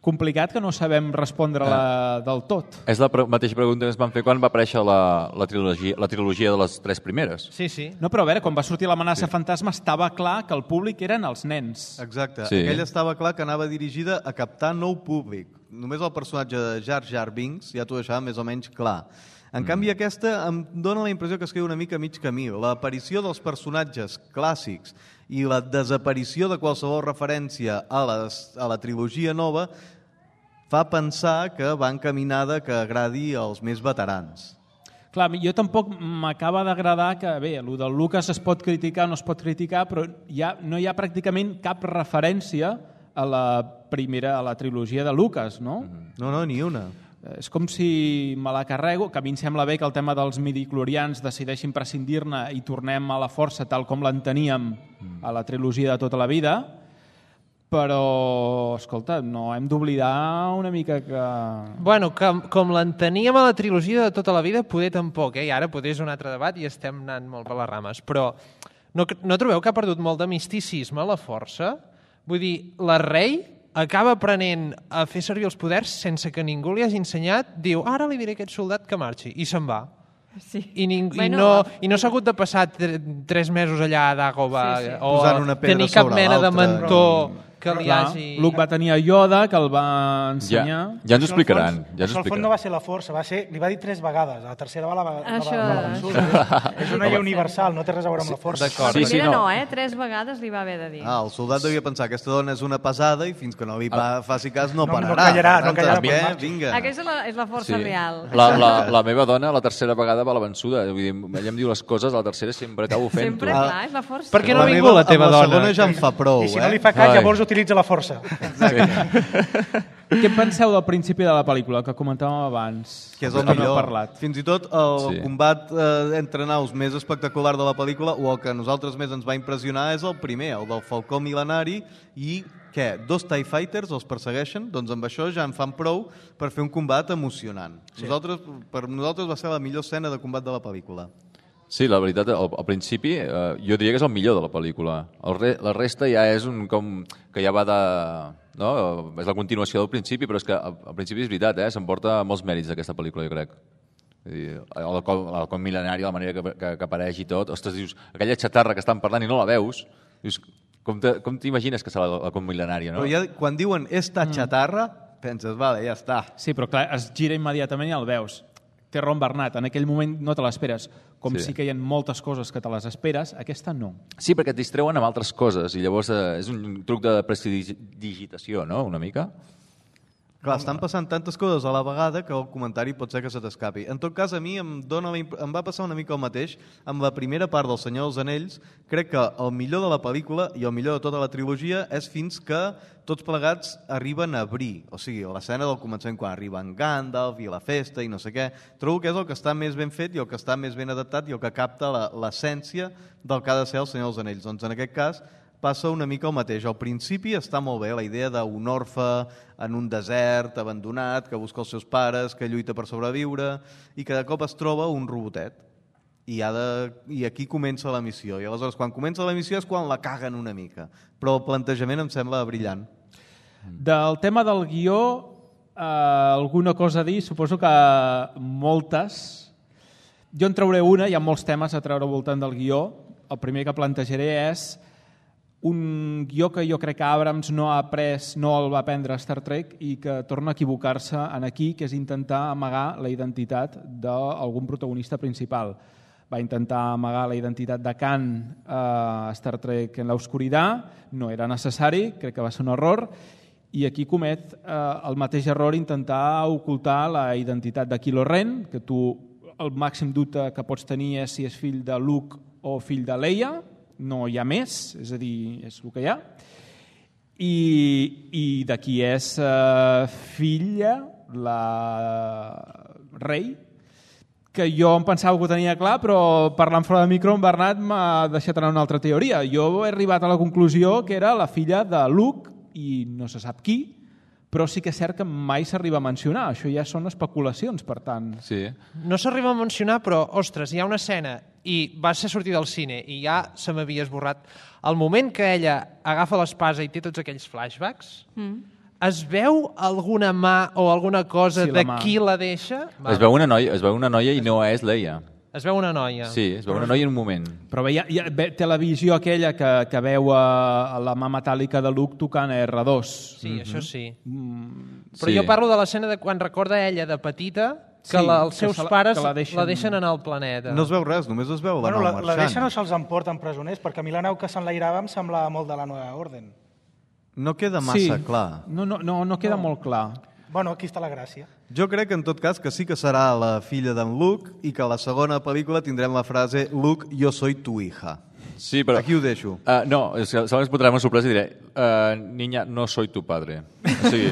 D: complicat que no sabem respondre-la ah. del tot.
I: És la pre mateixa pregunta que ens van fer quan va aparèixer la, la, trilogia, la trilogia de les tres primeres.
G: Sí, sí.
D: No, però a veure, quan va sortir l'amenaça sí. fantasma estava clar que el públic eren els nens.
E: Exacte.
I: Sí.
E: Aquella estava clar que anava dirigida a captar nou públic. Només el personatge de Jar Jar Binks ja t'ho deixava més o menys clar. En mm. canvi, aquesta em dona la impressió que es queda una mica a mig camí. L'aparició dels personatges clàssics i la desaparició de qualsevol referència a, les, a la trilogia nova fa pensar que va encaminada que agradi als més veterans.
D: Clar, jo tampoc m'acaba d'agradar que, bé, el del Lucas es pot criticar o no es pot criticar, però ja no hi ha pràcticament cap referència a la primera, a la trilogia de Lucas, no?
E: No, no, ni una.
D: És com si me la carrego, que a mi em sembla bé que el tema dels midichlorians decideixin prescindir-ne i tornem a la força tal com l'enteníem a la trilogia de tota la vida, però, escolta, no hem d'oblidar una mica que...
G: Bueno, com, com l'enteníem a la trilogia de tota la vida, poder tampoc, eh? I ara poder és un altre debat i estem anant molt per les rames, però no, no trobeu que ha perdut molt de misticisme la força? Vull dir, la Rey acaba aprenent a fer servir els poders sense que ningú li hagi ensenyat, diu, ara li diré a aquest soldat que marxi, i se'n va.
F: Sí.
G: I, ning
F: Bueno,
G: i no, i no s'ha hagut de passar tre tres mesos allà a Dagobah
F: Sí, sí.
G: o
E: Posant una pedra
G: tenir cap
E: sobre
G: mena de
E: l'altra.
G: mentor que li
D: Clar,
G: hagi...
D: Luke va tenir a Yoda, que el va
I: Ja,
D: ensenyar.
I: ja ens ho
H: Això, al
I: explicaran.
H: fons-
I: Ja ens
H: això
I: ho
H: al fons no
I: explicaran.
H: va ser la força, va ser, li va dir tres vegades, a la tercera va la, va,
F: Això-
H: va, va vençuda. És, és una llei universal, no té res a veure amb la força.
G: D'acord.
I: Sí,
F: La
I: sí,
F: primera
I: no.
F: no, eh? Tres vegades li va haver de dir.
E: Ah, el soldat devia pensar que aquesta dona és una pesada i fins que no li pa, faci cas no
H: No- no
E: pararà.
H: callarà,
E: Per
H: no
E: tant,
H: callarà,
E: saps
H: pues
E: què?
H: marxa.
E: Vinga.
F: Aquesta és la, és la força
I: Sí.
F: real.
I: La, la, la meva dona, la tercera vegada, va a la vençuda. Vull dir, ella em diu les coses, la tercera sempre acabo fent-ho.
F: Sempre, clar, és la força.
G: Per què no
E: La
G: ha
E: meva,
G: vingut la teva
E: amb
G: dona?
E: La segona ja em fa prou,
H: I si
E: eh?
H: no li fa cas,
I: Ai.
H: llavors utilitza la força.
D: Què en penseu del principi de la pel·lícula, que comentàvem abans?
E: Que és el
D: Que no
E: millor.
D: heu parlat.
E: Fins i tot el
I: Sí.
E: combat eh, entre naus més espectacular de la pel·lícula, o el que a nosaltres més ens va impressionar, és el primer, el del Falcó Mil·lenari, i què? Dos TIE Fighters els persegueixen? Doncs amb això ja en fan prou per fer un combat emocionant. Sí. Nosaltres, per nosaltres va ser la millor escena de combat de la pel·lícula.
I: Sí, la veritat, al, al principi eh, jo diria que és el millor de la pel·lícula. El re, la resta ja és un com que ja va de... No? És la continuació del principi, però és que al, al principi és veritat, eh? S'emporta molts mèrits d'aquesta pel·lícula, jo crec. Vull dir, el, com, el com mil·lenari, la manera que, que, que apareix i tot. Ostres, dius, aquella xatarra que estan parlant i no la veus, dius, com te, com t'imagines que serà la, la com mil·lenària, no?
E: Però ja, quan diuen esta xatarra, penses, vale, ja està.
D: Sí, però clar, es gira immediatament i el veus. Té raó en Bernat, en aquell moment no te l'esperes. Com
I: Sí.
D: sí. sí que hi ha moltes coses que te les esperes, aquesta no.
I: Sí, perquè et distreuen amb altres coses i llavors eh, és un truc de prestidigitació, no?, una mica.
E: Clar, estan passant tantes coses a la vegada que el comentari pot ser que se t'escapi. En tot cas, a mi em, dona la imp... em va passar una mica el mateix amb la primera part del Senyor dels Anells. Crec que el millor de la pel·lícula i el millor de tota la trilogia és fins que tots plegats arriben a Bree. O sigui, l'escena del començament quan arriben Gandalf i la festa i no sé què. Trobo que és el que està més ben fet i el que està més ben adaptat i el que capta la- l'essència del que ha de ser el Senyor dels Anells. Doncs en aquest cas passa una mica el mateix. Al principi està molt bé la idea d'un orfe en un desert abandonat, que busca els seus pares, que lluita per sobreviure i que de cop es troba un robotet. I, ha de... I aquí comença la missió. I aleshores, quan comença la missió és quan la caguen una mica. Però el plantejament em sembla brillant.
D: Del tema del guió, eh, alguna cosa a dir? Suposo que moltes. Jo en trauré una, hi ha molts temes a treure al voltant del guió. El primer que plantejaré és un guió que jo crec que Abrams no ha après, no el va aprendre a Star Trek i que torna a equivocar-se en aquí, que és intentar amagar la identitat d'algun protagonista principal. Va intentar amagar la identitat de Khan a Star Trek en l'oscuritat, no era necessari, crec que va ser un error, i aquí comet eh, el mateix error intentar ocultar la identitat de Kylo Ren, que tu el màxim dubte que pots tenir és si és fill de Luke o fill de Leia, no hi ha més, és a dir, és el que hi ha. I, i de qui és eh, filla la Rey, que jo em pensava que ho tenia clar, però parlant fora de micro, en Bernat m'ha deixat anar una altra teoria. Jo he arribat a la conclusió que era la filla de Luke, i no se sap qui, però sí que és cert que mai s'arriba a mencionar. Això ja són especulacions, per tant.
I: Sí.
G: No s'arriba a mencionar, però, ostres, hi ha una escena i va ser sortir del cine i ja se m'havia esborrat. El moment que ella agafa l'espasa i té tots aquells flashbacks, mm. es veu alguna mà o alguna cosa
D: Sí, la
G: de
D: mà.
G: qui la deixa?
I: Es veu una noia, es veu una noia i no és Leia.
G: Es veu una noia.
I: Sí, es veu una noia en un moment.
D: Però veia, ja, ve, té la visió aquella que, que veu a, a la mà metàl·lica de Luke tocant a erre dos.
G: Sí, mm-hmm. això sí.
D: Mm,
G: Però
I: Sí.
G: jo parlo de l'escena de quan recorda ella de petita que
D: Sí,
G: la, els
D: que
G: seus
D: se la-
G: pares
D: que
G: la
D: la
G: deixen...
D: deixen-
G: la deixen anar al planeta.
E: No es veu res, només es veu la
H: Bueno,
E: nau
H: la, la
E: marxant.
H: deixen o se'ls emporten presoners, perquè a mi la nau que s'enlairava em semblava molt de la Nova Orden.
E: No queda massa
D: sí.
E: clar.
D: No, no, no, no queda molt clar.
H: Bueno, aquí està la gràcia.
E: Jo crec, en tot cas, que sí que serà la filla d'en Luke i que a la segona pel·lícula tindrem la frase Luke, yo soy tu hija.
I: Sí, però...
E: Aquí ho deixo.
I: Uh, no, és que segons posarem una sorpresa i diré uh, niña, no soy tu padre. O sigui,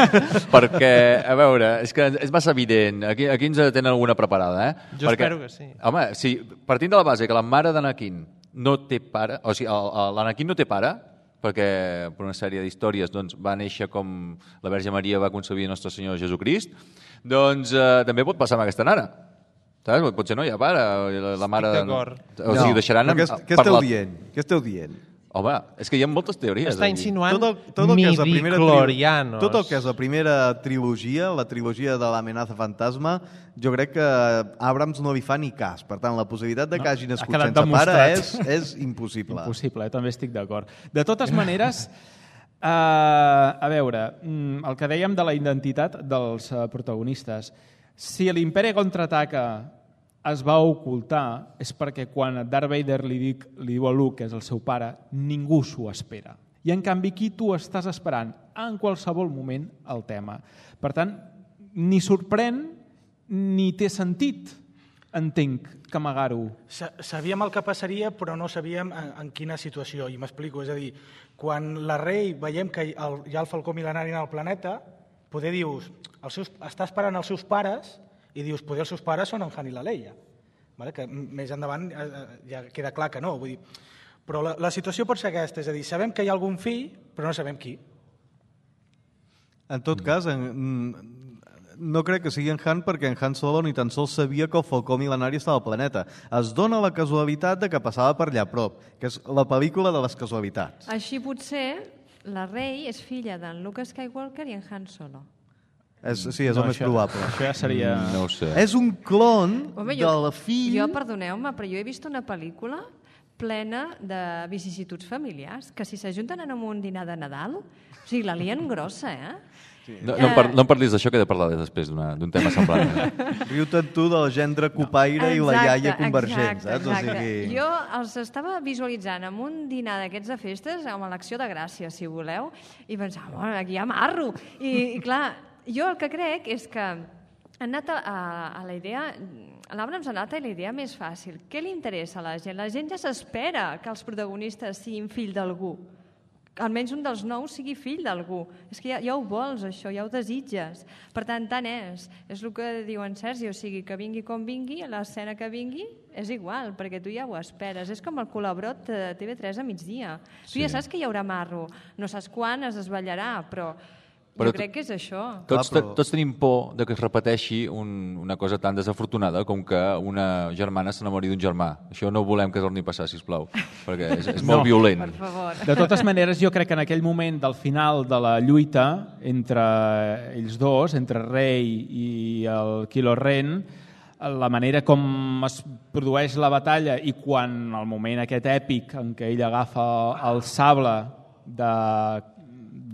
I: perquè, a veure, és que és massa evident. Aquí, aquí ens tenen alguna preparada, eh?
G: Jo
I: perquè,
G: espero que sí.
I: Home, si, partint de la base que la mare d'Anakin no té pare, o sigui, l'Anakin no té pare, perquè per una sèrie d'històries doncs, va néixer com la Verge Maria va concebir Nostre Senyor Jesucrist, doncs eh, també pot passar amb aquesta nana. Saps? Potser no hi ha pare. La, la mare...
G: d'acord.
I: O sigui, ho deixaran...
E: però què,
I: en-
E: què esteu
I: parlar-
E: dient? Què esteu dient?
I: Home, és que hi ha moltes teories.
G: Està
I: aquí.
G: insinuant
E: Tot el, tot el que és la primera tri-
G: midichlorianos.
E: tot el que és la primera trilogia, la trilogia de l'amenaça fantasma, jo crec que Abrams no li fa ni cas. Per tant, la possibilitat de que
D: No,
E: hagi
D: ha
E: nascut
D: quedat
E: sense pare
D: demostrat.
E: és, és impossible.
D: Impossible, eh? També estic d'acord. De totes maneres, uh, a veure, mm, el que dèiem de la identitat dels uh, protagonistes, si l'Imperi contraataca es va ocultar, és perquè quan Darth Vader li, dic, li diu a Luke, que és el seu pare, ningú s'ho espera. I en canvi aquí tu estàs esperant en qualsevol moment el tema. Per tant, ni sorprèn ni té sentit, entenc, que amagar-ho.
H: Sa- Sabíem el que passaria, però no sabíem en, en quina situació, i m'explico. És a dir, quan la Rey veiem que hi el, hi ha el falcó mil·lenari en el planeta, poder dius, els seus, està esperant els seus pares, i dius, poder els seus pares són en Han i la Leia. Vale? Que m- més endavant eh, eh, ja queda clar que no. Vull dir, però la, la situació pot ser aquesta, és a dir, sabem que hi ha algun fill, però no sabem qui.
E: En tot cas, en, no crec que sigui en Han perquè en Han Solo ni tan sols sabia que el falcó mil·lenari estava al planeta. Es dona la casualitat de que passava per allà a prop, que és la pel·lícula de les casualitats.
F: Així potser la Rey és filla d'en Luke Skywalker i en Han Solo.
E: És, sí, és
D: No,
E: el més
D: això-
E: probable.
D: això ja seria-
I: Mm, no ho sé.
E: És un clon
F: Home,
E: de la fill...
F: Jo, perdoneu-me, però jo he vist una pel·lícula plena de vicissituds familiars, que si s'ajunten en un dinar de Nadal, o sigui, la lien grossa, eh?
I: No, no, em par no em parlis d'això, que he de parlar després d'una- d'un tema semblant.
E: Riu-te'n tu del gendre copaire i la iaia convergent,
F: exacte,
E: saps? O
F: exacte.
E: sigui...
F: Jo els estava visualitzant en un dinar d'aquests de festes, amb l'Acció de Gràcia, si voleu, i pensava, bueno, aquí hi ha marro. I, i clar, jo el que crec és que han anat a, a, a la idea... L'Abrams ha anat a la idea més fàcil. Què li interessa a la gent? La gent ja s'espera que els protagonistes siguin fill d'algú. Almenys un dels nous sigui fill d'algú. És que ja, ja ho vols, això, ja ho desitges. Per tant, tant és. És el que diu en Sergi, o sigui, que vingui com vingui, a l'escena que vingui, és igual, perquè tu ja ho esperes. És com el colabrot de T V tres a migdia. Tu
I: Sí.
F: ja saps que hi haurà marro. No saps quan es desvetllarà, però,
I: Però
F: jo
I: tu-
F: crec que és això.
I: Tots,
E: Clar, però-
I: tots tenim por de que es repeteixi un, una cosa tan desafortunada com que una germana s'enamori d'un germà. Això no ho volem que torni a passar, sisplau, perquè és, és molt
D: No.
I: violent.
F: Per favor.
D: De totes maneres, jo crec que en aquell moment del final de la lluita entre ells dos, entre Rey i el Kylo Ren, la manera com es produeix la batalla i quan el moment aquest èpic en què ell agafa el sable de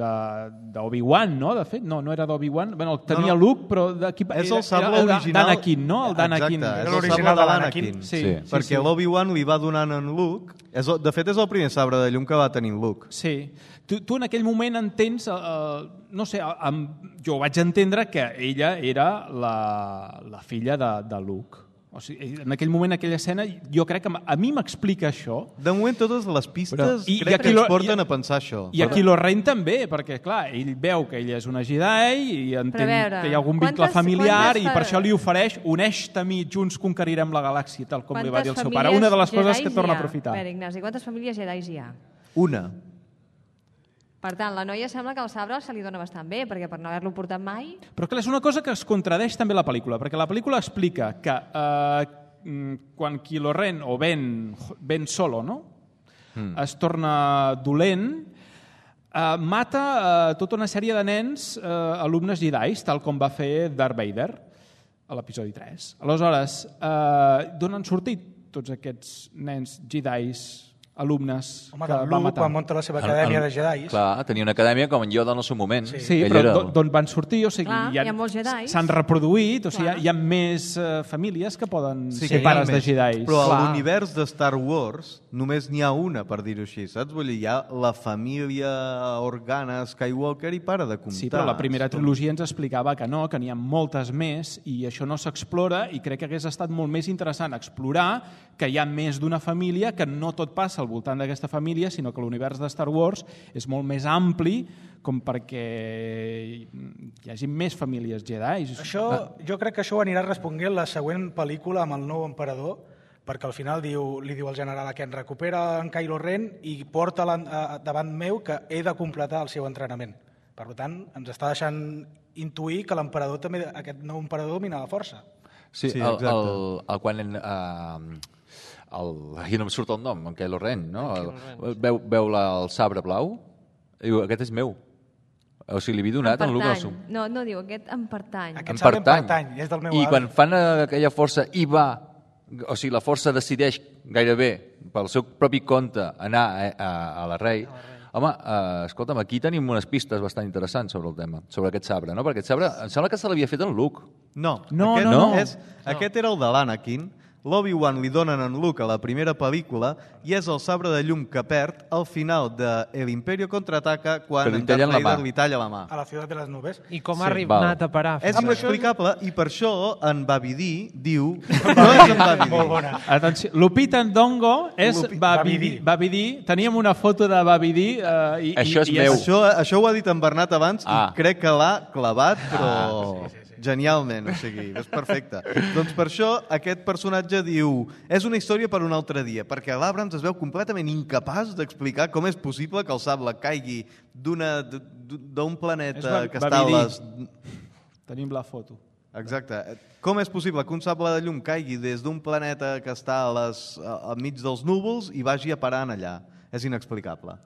D: d'Obi-Wan, no? De fet, no, no era d'Obi-Wan. Bueno, el tenia
E: No, no.
D: Luke, però d'aquí...
E: És el
D: era-
E: sable
D: era
E: original.
D: d'Anakin, no? El d'Anakin.
E: Exacte, és el
H: l'original
E: sable de
H: de
E: l'Anakin.
H: l'Anakin.
D: Sí,
I: Sí.
D: sí,
E: Perquè
D: sí.
E: l'Obi-Wan li va donant en Luke. És, el- de fet, és el primer sabre de llum que va tenir en Luke.
D: Sí. Tu, tu en aquell moment entens, eh, eh, no sé, amb, jo vaig entendre que ella era la, la filla de, de Luke. O sigui, en aquell moment, aquella escena, jo crec que m- a mi m'explica això.
E: De moment, totes les pistes
D: Però- i- i
E: crec
D: aquí
E: que ens
D: lo-
E: porten
D: i-
E: a pensar això.
D: I aquí Kylo Ren també, perquè, clar, ell veu que ella és una Jedi i entén
F: veure,
D: que hi ha algun vincle
F: quantes-
D: familiar
F: quantes
D: i per
F: fa-
D: això li ofereix uneix-te a mi, junts conquerirem la galàxia, tal com li va dir el seu pare.
F: famílies
D: Una de les coses que
F: Jedis
D: torna
F: hi
D: a
F: ha?
D: aprofitar.
F: A veure, Ignasi, quantes famílies Jedis hi ha?
E: Una.
F: Per tant, la noia sembla que el sabre se li dona bastant bé, perquè per no haver-lo portat mai...
D: Però clar, és una cosa que es contradeix també la pel·lícula, perquè la pel·lícula explica que eh, mm, quan Kylo Ren, o Ben, Ben Solo, no? Mm. es torna dolent, eh, mata eh, tota una sèrie de nens eh, alumnes Jedis, tal com va fer Darth Vader a l'episodi tres. Aleshores, eh, d'on han sortit tots aquests nens Jedis, alumnes
H: Home,
D: que
H: del
D: va
H: Luke,
D: matar?
H: quan munta la seva acadèmia
I: El-
H: de Jedis.
I: Clar, tenia una acadèmia com en Yoda en el seu moment.
H: Sí.
D: Sí,
I: Ell
D: però
I: era-
D: d'on- d'on van sortir? O sigui,
F: Clar, hi ha molts Jedis.
D: s'han reproduït, o sigui, hi ha,
F: Clar.
D: hi ha més uh, famílies que poden
E: Sí,
D: ser
E: que
D: pares
E: hi ha
D: de
E: més.
D: Jedis.
E: Però a
D: Clar.
E: l'univers de Star Wars només n'hi ha una, per dir-ho així, saps? Vull dir, hi ha la família Organa Skywalker i para de comptar.
D: Sí, però la primera trilogia ens explicava que no, que n'hi ha moltes més i això no s'explora i crec que hagués estat molt més interessant explorar que hi ha més d'una família, que no tot passa al voltant d'aquesta família, sinó que l'univers de Star Wars és molt més ampli com perquè hi hagi més famílies Jedi.
H: Això, jo crec que això ho anirà responent la següent pel·lícula amb el nou emperador, perquè al final diu, li diu al general a Ken, recupera en Kylo Ren i porta davant meu que he de completar el seu entrenament. Per tant, ens està deixant intuir que l'emperador també, aquest nou emperador domina la força.
I: Sí,
E: Sí,
I: el,
E: exacte.
I: el, el, quan, en, uh, el, aquí no em surt el nom, en Kylo Ren, no?
G: En Kylo Ren, sí.
I: Veu, veu la, el sabre blau i diu, aquest és meu. O sigui, li havia donat en Luke.
F: Pertany. No, no diu, aquest em pertany.
H: Aquest
I: Em
H: sabre em
I: pertany.
H: pertany, és del meu
I: I
H: avi.
I: quan fan aquella força i va, o sigui, la força decideix gairebé pel seu propi compte anar a, a, a la rei, home, eh, escolta'm, aquí tenim unes pistes bastant interessants sobre el tema, sobre aquest sabre, no? Perquè aquest sabre, em sembla que se l'havia fet en Luke.
E: No,
D: No,
E: aquest,
D: no, no.
E: És, aquest era el de l'Anakin. L'Obi-Wan li donen en Luke a la primera pel·lícula i és el sabre de llum que perd al final de El Imperio contraataca quan
I: Que li
E: en Darth
I: tallen la
E: Vader
I: mà.
E: li talla la mà.
H: A la ciutat de les nubes.
G: I com
I: Sí,
G: ha arribat
I: val.
G: a parar?
E: És
G: fins
E: inexplicable i per això en Babidi diu... No és en Babidi.
H: Molt bona.
D: Atenció, Lupita Ndongo és
E: Lupi-
D: Babidi. Babidi. Teníem una foto de Babidi. Eh, i,
I: Això és
D: i, i
I: meu.
E: Això, això ho ha dit en Bernat abans
I: Ah.
E: i crec que l'ha clavat, però genialment, o sigui, és perfecte. Doncs per això aquest personatge diu és una història per un altre dia, perquè l'Abrams es veu completament incapaç d'explicar com és possible que el sable caigui d'una d'un
D: És
E: planeta
D: Ba-
E: que està a
D: Babidi.
E: les...
D: Tenim la foto.
E: Exacte. Com és possible que un sable de llum caigui des d'un planeta que està a les, a, a mig dels núvols i vagi a parar en allà? És inexplicable.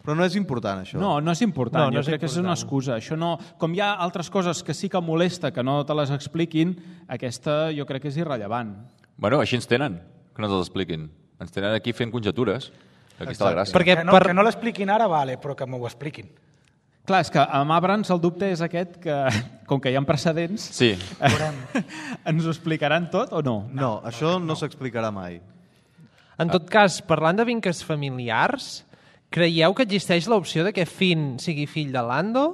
E: Però no és important, això.
D: No, no és important.
G: No, no
D: jo
G: és
D: crec que és una
G: important.
D: excusa. Això no, com hi ha altres coses que sí que molesta que no te les expliquin, aquesta jo crec que és irrellevant.
I: Bueno, així ens tenen, que no ens els expliquin. Ens tenen aquí fent conjectures. Aquí està la gràcia.
G: Perquè
H: Que no,
G: per...
H: que no l'expliquin ara, vale, però que m'ho expliquin.
D: Clar, és que amb Abrams el dubte és aquest que, com que hi ha precedents,
I: Sí.
D: ens ho explicaran tot o no?
E: No, això no s'explicarà mai.
G: En tot cas, parlant de vincles familiars, creieu que existeix l'opció de que Finn sigui fill de Lando?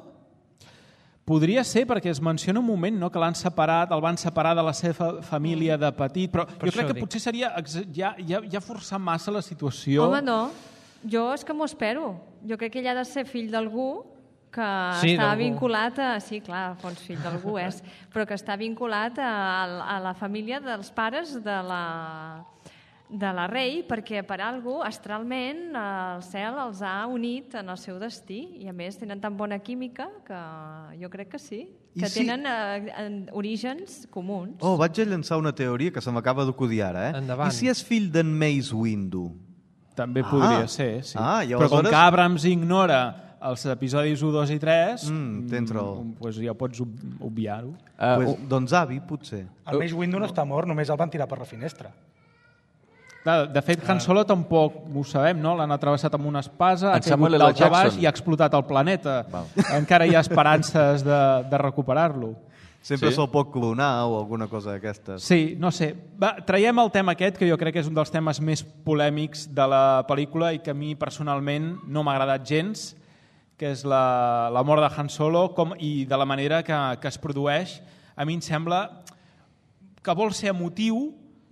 D: Podria ser perquè es menciona un moment no, que l'han separat, el van separar de la seva família de petit, però
G: Per
D: jo
G: això
D: crec que
G: dic.
D: potser seria ex- ja, ja, ja forçar massa la situació.
F: Home, no. Jo és que m'ho espero. Jo crec que ell ha de ser fill d'algú que
G: Sí,
F: està
G: d'algú.
F: vinculat a... Sí, clar, fons fill d'algú és, però que està vinculat a, a la família dels pares de la, de la rei, perquè per algú, astralment, el cel els ha unit en el seu destí, i a més tenen tan bona química que jo crec que sí,
E: I
F: que
E: si-
F: tenen eh, en- orígens comuns.
E: Oh, vaig a llançar una teoria que se m'acaba d'acudir ara, eh?
G: Endavant.
E: I si és fill d'en Mace Windu?
D: També
E: Ah.
D: podria ser, sí.
E: Ah, i
D: Però com
E: aleshores-
D: que Abrams ignora els episodis un, dos i tres,
E: Mm, tens raó.
D: mm, pues ja pots ob- obviar-ho.
I: Uh,
E: pues, doncs avi, potser.
H: El Mace Windu no està mort, només el van tirar per la finestra.
D: Clar, de fet, Han Solo tampoc ho sabem, no? L'han atravessat amb una espasa, ha
I: En Samuel
D: caigut
I: L.
D: dalt a baix
I: Jackson.
D: i ha explotat el planeta. Encara hi ha esperances de, de recuperar-lo.
E: Sempre
I: Sí?
E: se'l pot clonar o alguna cosa d'aquestes.
D: Sí, no sé. Va, traiem el tema aquest, que jo crec que és un dels temes més polèmics de la pel·lícula i que a mi personalment no m'ha agradat gens, que és la, la mort de Han Solo com, i de la manera que, que es produeix. A mi em sembla que vol ser emotiu,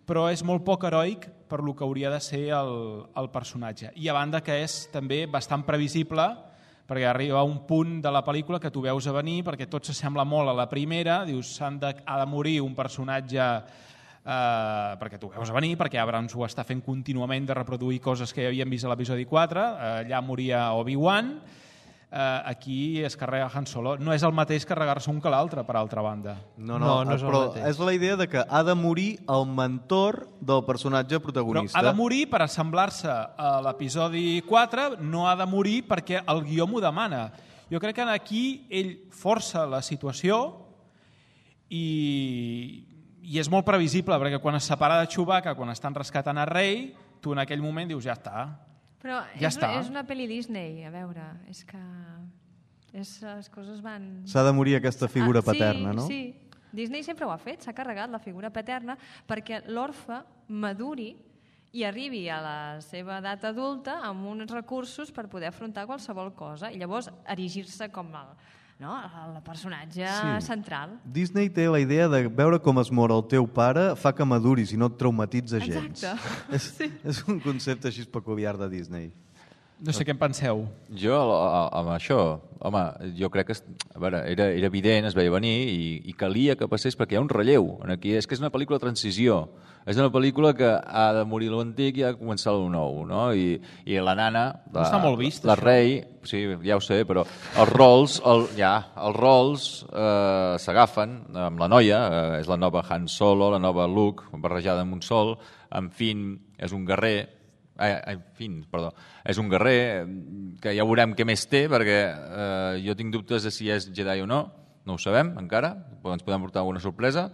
D: però és molt poc heroic per lo que hauria de ser el, el personatge. I a banda que és també bastant previsible, perquè arriba un punt de la pel·lícula que tu veus a venir, perquè tot s'assembla molt a la primera, dius, s'han de, ha de morir un personatge eh, perquè tu veus a venir, perquè Abrams ho està fent contínuament de reproduir coses que ja havíem vist a l'episodi quatre, eh, allà moria Obi-Wan, eh, aquí es carrega Han Solo. No és el mateix carregar-se un que l'altre, per altra banda.
E: No,
G: No,
E: no,
G: no és el
E: però
G: mateix.
E: és la idea de que ha de morir el mentor del personatge
D: Però
E: protagonista.
D: ha de morir per assemblar-se a l'episodi quatre, no ha de morir perquè el guió m'ho demana. Jo crec que aquí ell força la situació i, i és molt previsible, perquè quan es separa de Chewbacca, quan estan rescatant a Rey, tu en aquell moment dius, ja està.
F: Però
D: Ja
F: és,
D: està.
F: és una pel·li Disney, a veure, és que és, les coses van...
E: S'ha de morir aquesta figura
F: Ah,
E: paterna, no?
F: Sí, sí. Disney sempre ho ha fet, s'ha carregat la figura paterna perquè l'orfe maduri i arribi a la seva edat adulta amb uns recursos per poder afrontar qualsevol cosa i llavors erigir-se com el, no, el personatge
E: Sí.
F: central.
E: Disney té la idea de veure com es mor el teu pare fa que maduris i no et traumatitza gens.
F: Exacte.
E: És,
F: Sí.
E: és un concepte així peculiar de Disney.
D: No sé què en penseu.
I: Jo, amb això, home, jo crec que a veure, era, era evident, es veia venir i, i calia que passés perquè hi ha un relleu. Aquí és que és una pel·lícula de transició. És una pel·lícula que ha de morir l'antic i ha de començar el nou, no? I, i la nana, la,
D: no està molt vist,
I: la
D: això.
I: rei, sí, ja ho sé, però els rols, el, ja, els rols eh, s'agafen amb la noia, eh, és la nova Han Solo, la nova Luke, barrejada amb un sol, en Finn és un guerrer, Eh, en fi, perdó, és un guerrer que ja veurem què més té, perquè eh, jo tinc dubtes de si és Jedi o no, no ho sabem encara, ens podem portar alguna sorpresa.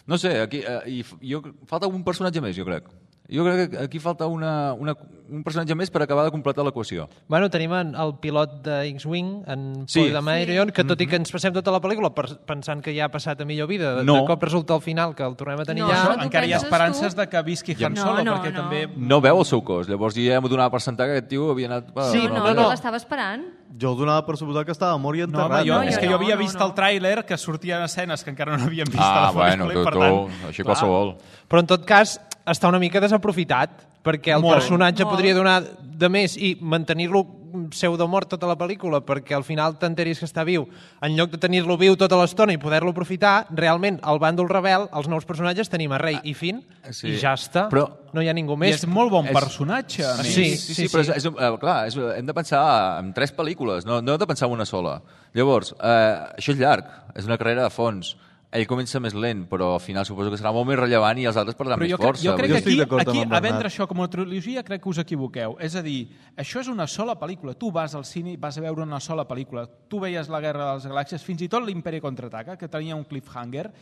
I: No sé, aquí, eh, i jo, falta un personatge més, jo crec. Jo crec que aquí falta una, una, un personatge més per acabar de completar l'equació.
G: Bueno, tenim el pilot de X-Wing, en
I: Sí.
G: Paul Dameron, que tot i que ens passem tota la pel·lícula pensant que ja ha passat a millor vida, de,
I: No.
G: de cop resulta al final que el tornem a tenir
F: No,
G: allà.
F: això-
D: Això,
F: tu
D: encara hi ha
F: penses
D: esperances
F: tu?
D: de que visqui Han
F: No,
D: Solo,
F: no,
D: perquè
F: no.
D: també...
I: No veu el seu cos, llavors ja hem donat per sentar que aquest tio havia anat... per-
G: Sí,
F: No,
I: per
F: no,
I: una
F: no,
I: altra.
F: l'estava esperant.
E: Jo el donava per suposar que estava mort i
D: No,
E: enterrat.
D: home, jo,
F: No,
D: és
F: jo
D: que jo
F: no,
D: havia
F: no,
D: vist
F: no.
D: el tràiler que sortien escenes que encara no havíem vist
I: Ah,
D: a la
I: bueno,
D: pel·lícula,
I: tu,
D: i per
I: tu,
D: tant...
I: així
D: clar,
I: qualsevol.
G: Però en tot cas està una mica desaprofitat, perquè el
D: Molt.
G: personatge
F: Molt.
G: podria donar de més i mantenir-lo pseudomort tota la pel·lícula perquè al final t'enteris que està viu, en lloc de tenir-lo viu tota l'estona i poder-lo aprofitar, realment al bàndol rebel, els nous personatges tenim a Rey i Finn,
I: sí.
G: i ja està.
I: Però-
G: no hi ha ningú
D: I
G: més.
D: és molt bon
I: És-
D: personatge, a més.
G: Sí.
I: Sí, sí, però és, és, eh, clar, és, hem de pensar en tres pel·lícules, no, no hem de pensar en una sola. Llavors, eh, això és llarg, és una carrera de fons. Ell comença més lent, però al final suposo que serà molt més rellevant i els altres perdran
D: Però
I: més
D: jo, crec,
I: força.
D: jo crec
E: Jo
D: que
E: estic
D: aquí,
E: d'acord amb
D: aquí
E: en
D: a
E: Bernat.
D: vendre això com a trilogia crec que us equivoqueu. És a dir, això és una sola pel·lícula. Tu vas al cine i vas a veure una sola pel·lícula. Tu veies La Guerra de les Galàxies, fins i tot l'Imperi Contraataca, que tenia un cliffhanger,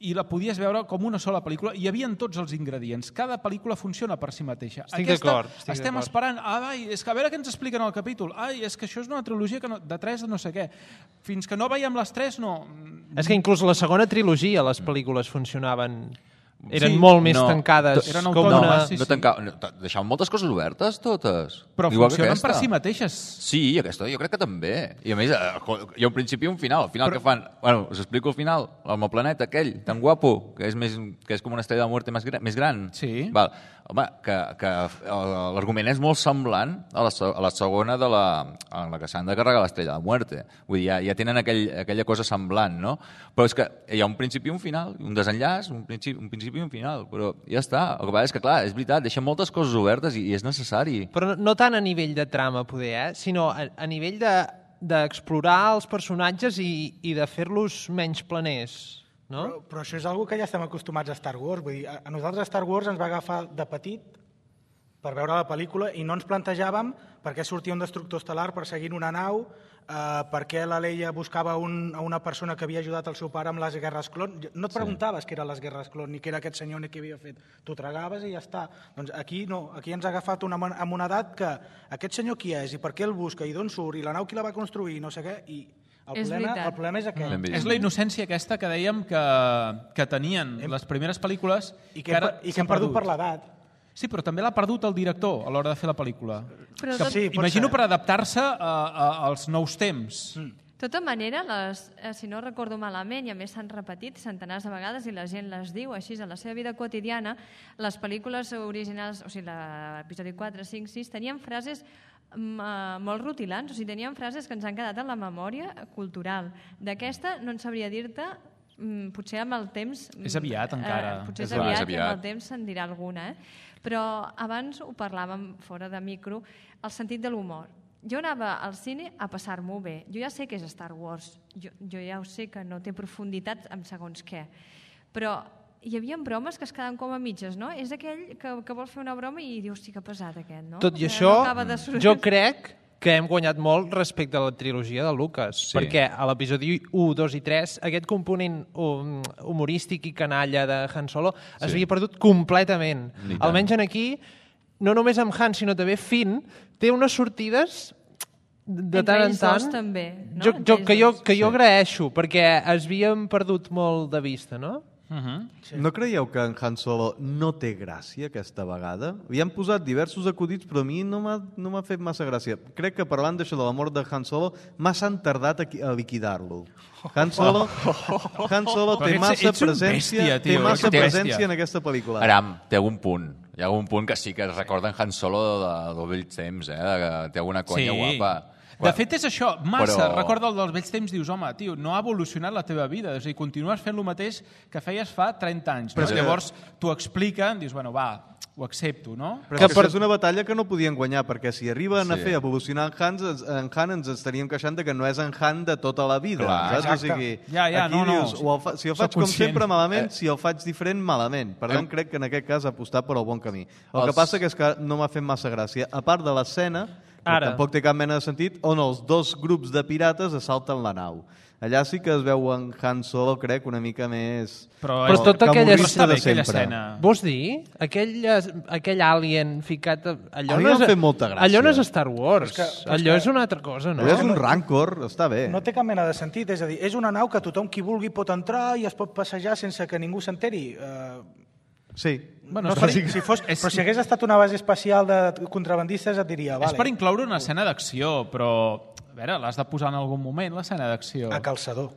D: i la podies veure com una sola pel·lícula. Hi havia tots els ingredients. Cada pel·lícula funciona per si mateixa.
G: Estic
D: Aquesta,
G: d'acord, estic
D: estem
G: d'acord.
D: esperant, ah, ai, és que a veure què ens expliquen al capítol. Ai, és que això és una trilogia que no, de tres de no sé què. Fins que no veiem les tres, no...
G: És que inclús la segona trilogia les pel·lícules funcionaven... Eren
D: Sí,
G: molt més
I: no.
G: tancades.
D: Eren
G: com
D: autònomes,
G: una...
D: sí,
I: No tancava, no, deixaven moltes coses obertes, totes.
D: Però
I: Igual que
D: funcionen
I: aquesta.
D: per si mateixes.
I: Sí, aquesta jo crec que també. I a més, eh, hi ha un principi i un final. Al final
D: Però-
I: que fan... Bueno, us explico el final. Amb el planeta aquell, tan guapo, que és, més, que és com una estrella de muerte més, gran, més gran.
D: Sí.
I: Val. Home, que, que eh, l'argument és molt semblant a la, se- a la segona de la, en la que s'han de carregar l'estrella de muerte. Vull dir, ja, ja tenen aquell, aquella cosa semblant, no? Però és que hi ha un principi i un final, un desenllaç, un principi, un principi i un final, però ja està. El que passa és que, clar, és veritat, deixa moltes coses obertes i, i és necessari.
G: Però no, no tant a nivell de trama, poder, eh? sinó a, a nivell de d'explorar els personatges i, i de fer-los menys planers, no?
H: Però, però això és algo que ja estem acostumats a Star Wars. Vull dir, a, a nosaltres Star Wars ens va agafar de petit per veure la pel·lícula i no ens plantejàvem per què sortia un destructor estel·lar perseguint una nau, eh, per què la Leia buscava un, a una persona que havia ajudat el seu pare amb les guerres clon. No et preguntaves què eren les guerres clon ni què era aquest senyor ni què havia fet. Tu tragaves i ja està. Doncs aquí no, aquí ens ha agafat una, amb una edat que aquest senyor qui és i per què el busca i d'on surt i la nau qui la va construir i no sé què. I el,
F: És
H: problema,
F: veritat.
H: el problema és aquest.
I: Ben vist.
D: És la innocència aquesta que dèiem que, que tenien les primeres pel·lícules
H: I que,
D: ara
H: hem, i que
D: s'ha
H: hem perdut per l'edat.
D: Sí, però també l'ha perdut el director a l'hora de fer la pel·lícula.
F: Però
D: Que,
F: tot-
H: Sí, pot
D: imagino
H: ser.
D: per adaptar-se a, a, als nous temps.
H: Mm.
F: De tota manera, les, eh, si no recordo malament, i a més s'han repetit centenars de vegades i la gent les diu així en la seva vida quotidiana, les pel·lícules originals, o sigui, l'episodi quatre, cinc, sis, tenien frases mm, eh, molt rutilants, o sigui, tenien frases que ens han quedat en la memòria cultural. D'aquesta no en sabria dir-te, mm, potser amb el temps...
D: És aviat, encara.
F: Eh, potser és,
I: És clar, és
F: aviat, i amb
I: aviat.
F: el temps se'n dirà alguna, eh? Però abans ho parlàvem fora de micro, el sentit de l'humor. Jo anava al cine a passar-m'ho bé. Jo ja sé que és Star Wars, jo, jo ja ho sé que no té profunditat amb segons què, però hi havia bromes que es quedaven com a mitges, no? És aquell que, que vol fer una broma i dius, sí que pesat aquest, no?
G: Tot i
F: Que
G: això,
F: no acaba de sortir.
G: jo crec que hem guanyat molt respecte a la trilogia de Lucas,
I: Sí.
G: perquè a l'episodi u, dos i tres aquest component hum, humorístic i canalla de Han Solo es
I: Sí.
G: havia perdut completament.
I: Ni tant.
G: Almenys en aquí, no només amb Han, sinó també Finn, té unes sortides de
F: Entre
G: tant en
F: ells
G: tant
F: dos, també, no?
G: jo,
F: Entre
G: jo,
F: ells
G: que, jo,
F: dos.
G: que jo agraeixo, perquè es havien perdut molt de vista, no?
D: Uh-huh.
E: Sí. No creieu que en Han Solo no té gràcia aquesta vegada? Hi han posat diversos acudits, però a mi no m'ha no m'ha fet massa gràcia. Crec que parlant d'això de la mort de Han Solo, massa han tardat a, a liquidar-lo. Han Solo, Han Solo té massa presència, té massa presència en aquesta pel·lícula.
I: Aram, té algun punt. Hi ha algun punt que sí que es recorden Han Solo de, dels vells temps, eh? Que té alguna conya
D: sí.
I: guapa.
D: De fet, és això, massa.
I: Però...
D: Recorda el dels vells temps, dius, home, tio, no ha evolucionat la teva vida. És a dir, continues fent el mateix que feies fa trenta anys. Però no? Que... Llavors t'ho expliquen, dius, bueno, va, ho accepto, no?
E: Però que per... és una batalla que no podien guanyar, perquè si arriben sí. a fer evolucionar en Han, en Han ens estaríem queixant de que no és en Han de tota la vida.
D: Clar,
E: saps? O sigui,
D: ja, ja,
E: aquí
D: no, no.
E: dius, o el fa... si el faig com sempre, malament, eh. si el faig diferent, malament. Per tant, eh. crec que en aquest cas ha apostat per el bon camí. El Els... que passa que és que no m'ha fet massa gràcia. A part de l'escena, Ara. tampoc té cap mena de sentit, on els dos grups de pirates assalten la nau. Allà sí que es veu en Han Solo, crec, una mica més...
G: Però, Però tota aquella,
D: de aquella escena...
G: Vols dir? Aquell, aquell alien ficat... Allò
E: a mi
G: no
E: m'ha
G: és,
E: fet molta gràcia.
G: Allò no és Star Wars. Que, allò
H: que,
G: és una altra cosa, no?
E: Allò és un rancor, està bé.
H: No té cap mena de sentit. És a dir, és una nau que tothom qui vulgui pot entrar i es pot passejar sense que ningú s'enteri. Uh...
E: Sí.
H: Bueno, no, però, si, si fos, és... però si hagués estat una base espacial de contrabandistes et diria... Vale.
D: És per incloure una escena d'acció, però... A veure, l'has de posar en algun moment, l'escena d'acció.
H: A calçador.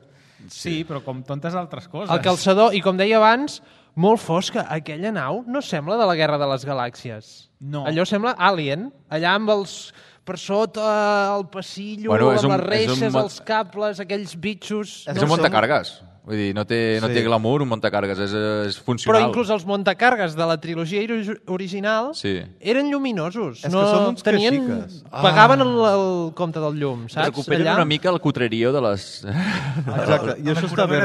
D: Sí, però com tantes altres coses.
G: El calçador, i com deia abans, molt fosca. Aquella nau no sembla de la Guerra de les Galàxies.
D: No.
G: Allò sembla Alien, allà amb els... per sota, el passillo,
I: bueno,
G: amb
I: un,
G: les reixes,
I: un...
G: els cables, aquells bitxos...
I: És no un montacargues. Vull dir, no té, no sí. té glamour, un montacargues, és, és funcional.
G: Però inclús els montacargues de la trilogia original sí. eren lluminosos.
E: És
G: no
E: que són uns
G: tenien,
E: caxiques.
G: Pagaven el, el compte del llum, saps?
I: Recuperen Allà... una mica el cutrerio de les...
E: Exacte, i això està bé.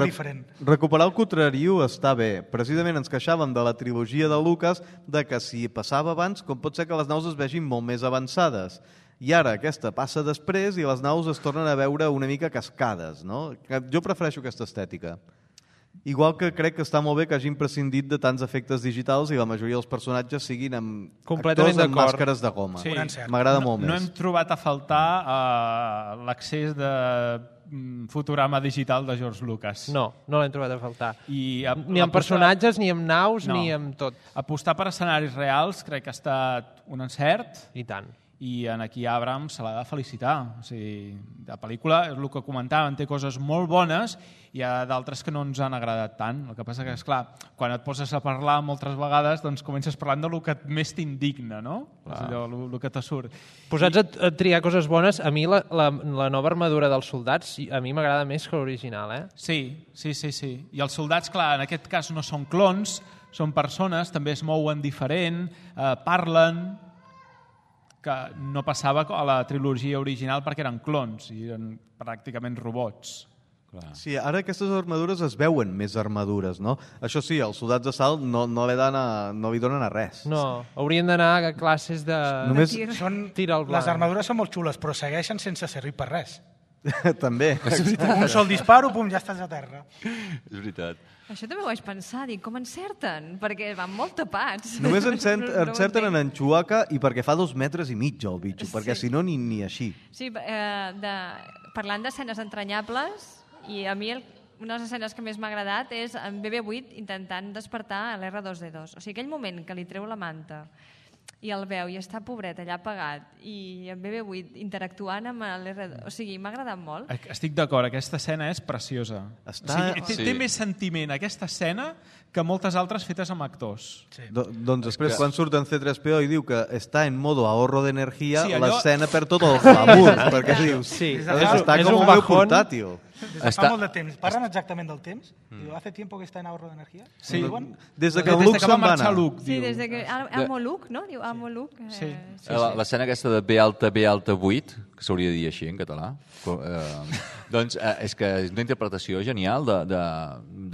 E: Recuperar el cutrerio està bé. Precisament ens queixàvem de la trilogia de Lucas de que si passava abans, com pot ser que les naus es vegin molt més avançades. I ara aquesta passa després i les naus es tornen a veure una mica cascades, no? Jo prefereixo aquesta estètica. Igual que crec que està molt bé que hagin prescindit de tants efectes digitals i la majoria dels personatges siguin amb actors amb màscares de goma.
D: Sí.
E: M'agrada
D: no,
E: molt més.
D: No hem trobat a faltar uh, l'accés de fotograma digital de George Lucas.
G: No, no l'hem trobat a faltar.
D: I a,
G: ni amb personatges, ni amb naus, no. ni amb tot.
D: Apostar per escenaris reals crec que ha estat un encert.
G: I tant.
D: I en aquí Abrams se l'ha de felicitar. O sigui, la pel·lícula, és el que comentàvem, té coses molt bones i hi ha d'altres que no ens han agradat tant. El que passa que, esclar, quan et poses a parlar moltes vegades, doncs comences parlant del que més t'indigna, no? És allò, el, el que te surt.
G: Posats a, a triar coses bones, a mi la, la, la nova armadura dels soldats a mi m'agrada més que l'original, eh?
D: Sí, sí, sí, sí. I els soldats, clar, en aquest cas no són clons, són persones, també es mouen diferent, eh, parlen... que no passava a la trilogia original perquè eren clons i eren pràcticament robots.
E: Clar. Sí, ara aquestes armadures es veuen més armadures, no? Això sí, els soldats d'assalt no, no, li a, no li donen a res.
G: No, haurien d'anar a classes de...
H: Només... de tir. Són...
G: tir al blanc.
H: Les armadures són molt xules, però segueixen sense servir per res.
E: També.
H: Un sol disparo, pum, ja estàs a terra.
I: És veritat.
F: Això també ho vaig pensar, dic, com encerten? Perquè van molt tapats.
E: Només encert, encerten en en Chewbacca i perquè fa dos metres i mig el bitxo, perquè sí. si no ni, ni així.
F: Sí, eh, de, parlant d'escenes entranyables, i a mi el, una de les escenes que més m'ha agradat és en B B vuit intentant despertar l'R dos D dos. O sigui, aquell moment que li treu la manta i el veu i està pobret allà apagat i en B B vuit interactuant amb l'R dos, o sigui, m'ha agradat molt.
D: Estic d'acord, aquesta escena és preciosa. Està... O sigui, té, sí. té més sentiment aquesta escena que moltes altres fetes amb actors.
E: Sí. Do, doncs després, que... quan surt en C tres P O i diu que està en modo ahorro d'energia, sí, allò... l'escena per tot el glamour, perquè dius, sí. està com un meu portàtil.
H: Des de fa molt de temps. Parlen exactament del temps? Mm. ¿Hace tiempo que está en ahorro d'energia?
E: Sí. Des de que el Luke se'n va anar.
F: Sí, des de que... Amo Luke, no? Diu Amo Luke. Eh,
D: sí.
F: sí, sí.
I: L'escena aquesta de B alta, B alta vuit, que s'hauria de dir així en català, eh, doncs eh, és que és una interpretació genial de, de,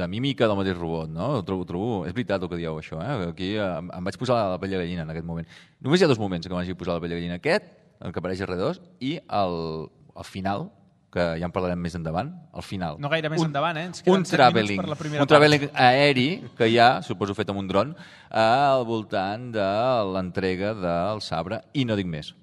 I: de mímica del mateix robot, no? Ho trobo, trobo, és veritat el que dieu, això, eh? Aquí eh, em vaig posar la pell de gallina en aquest moment. Només hi ha dos moments que m'hagi posat la pell de gallina. Aquest, el que apareix a R dos, i el, el final, que ja en parlarem més endavant, al final.
D: No gaire més
I: un,
D: endavant, eh? Ens
I: un traveling, per la primera un traveling aeri, que hi ha, suposo fet amb un dron, al voltant de l'entrega del sabre, i no dic més.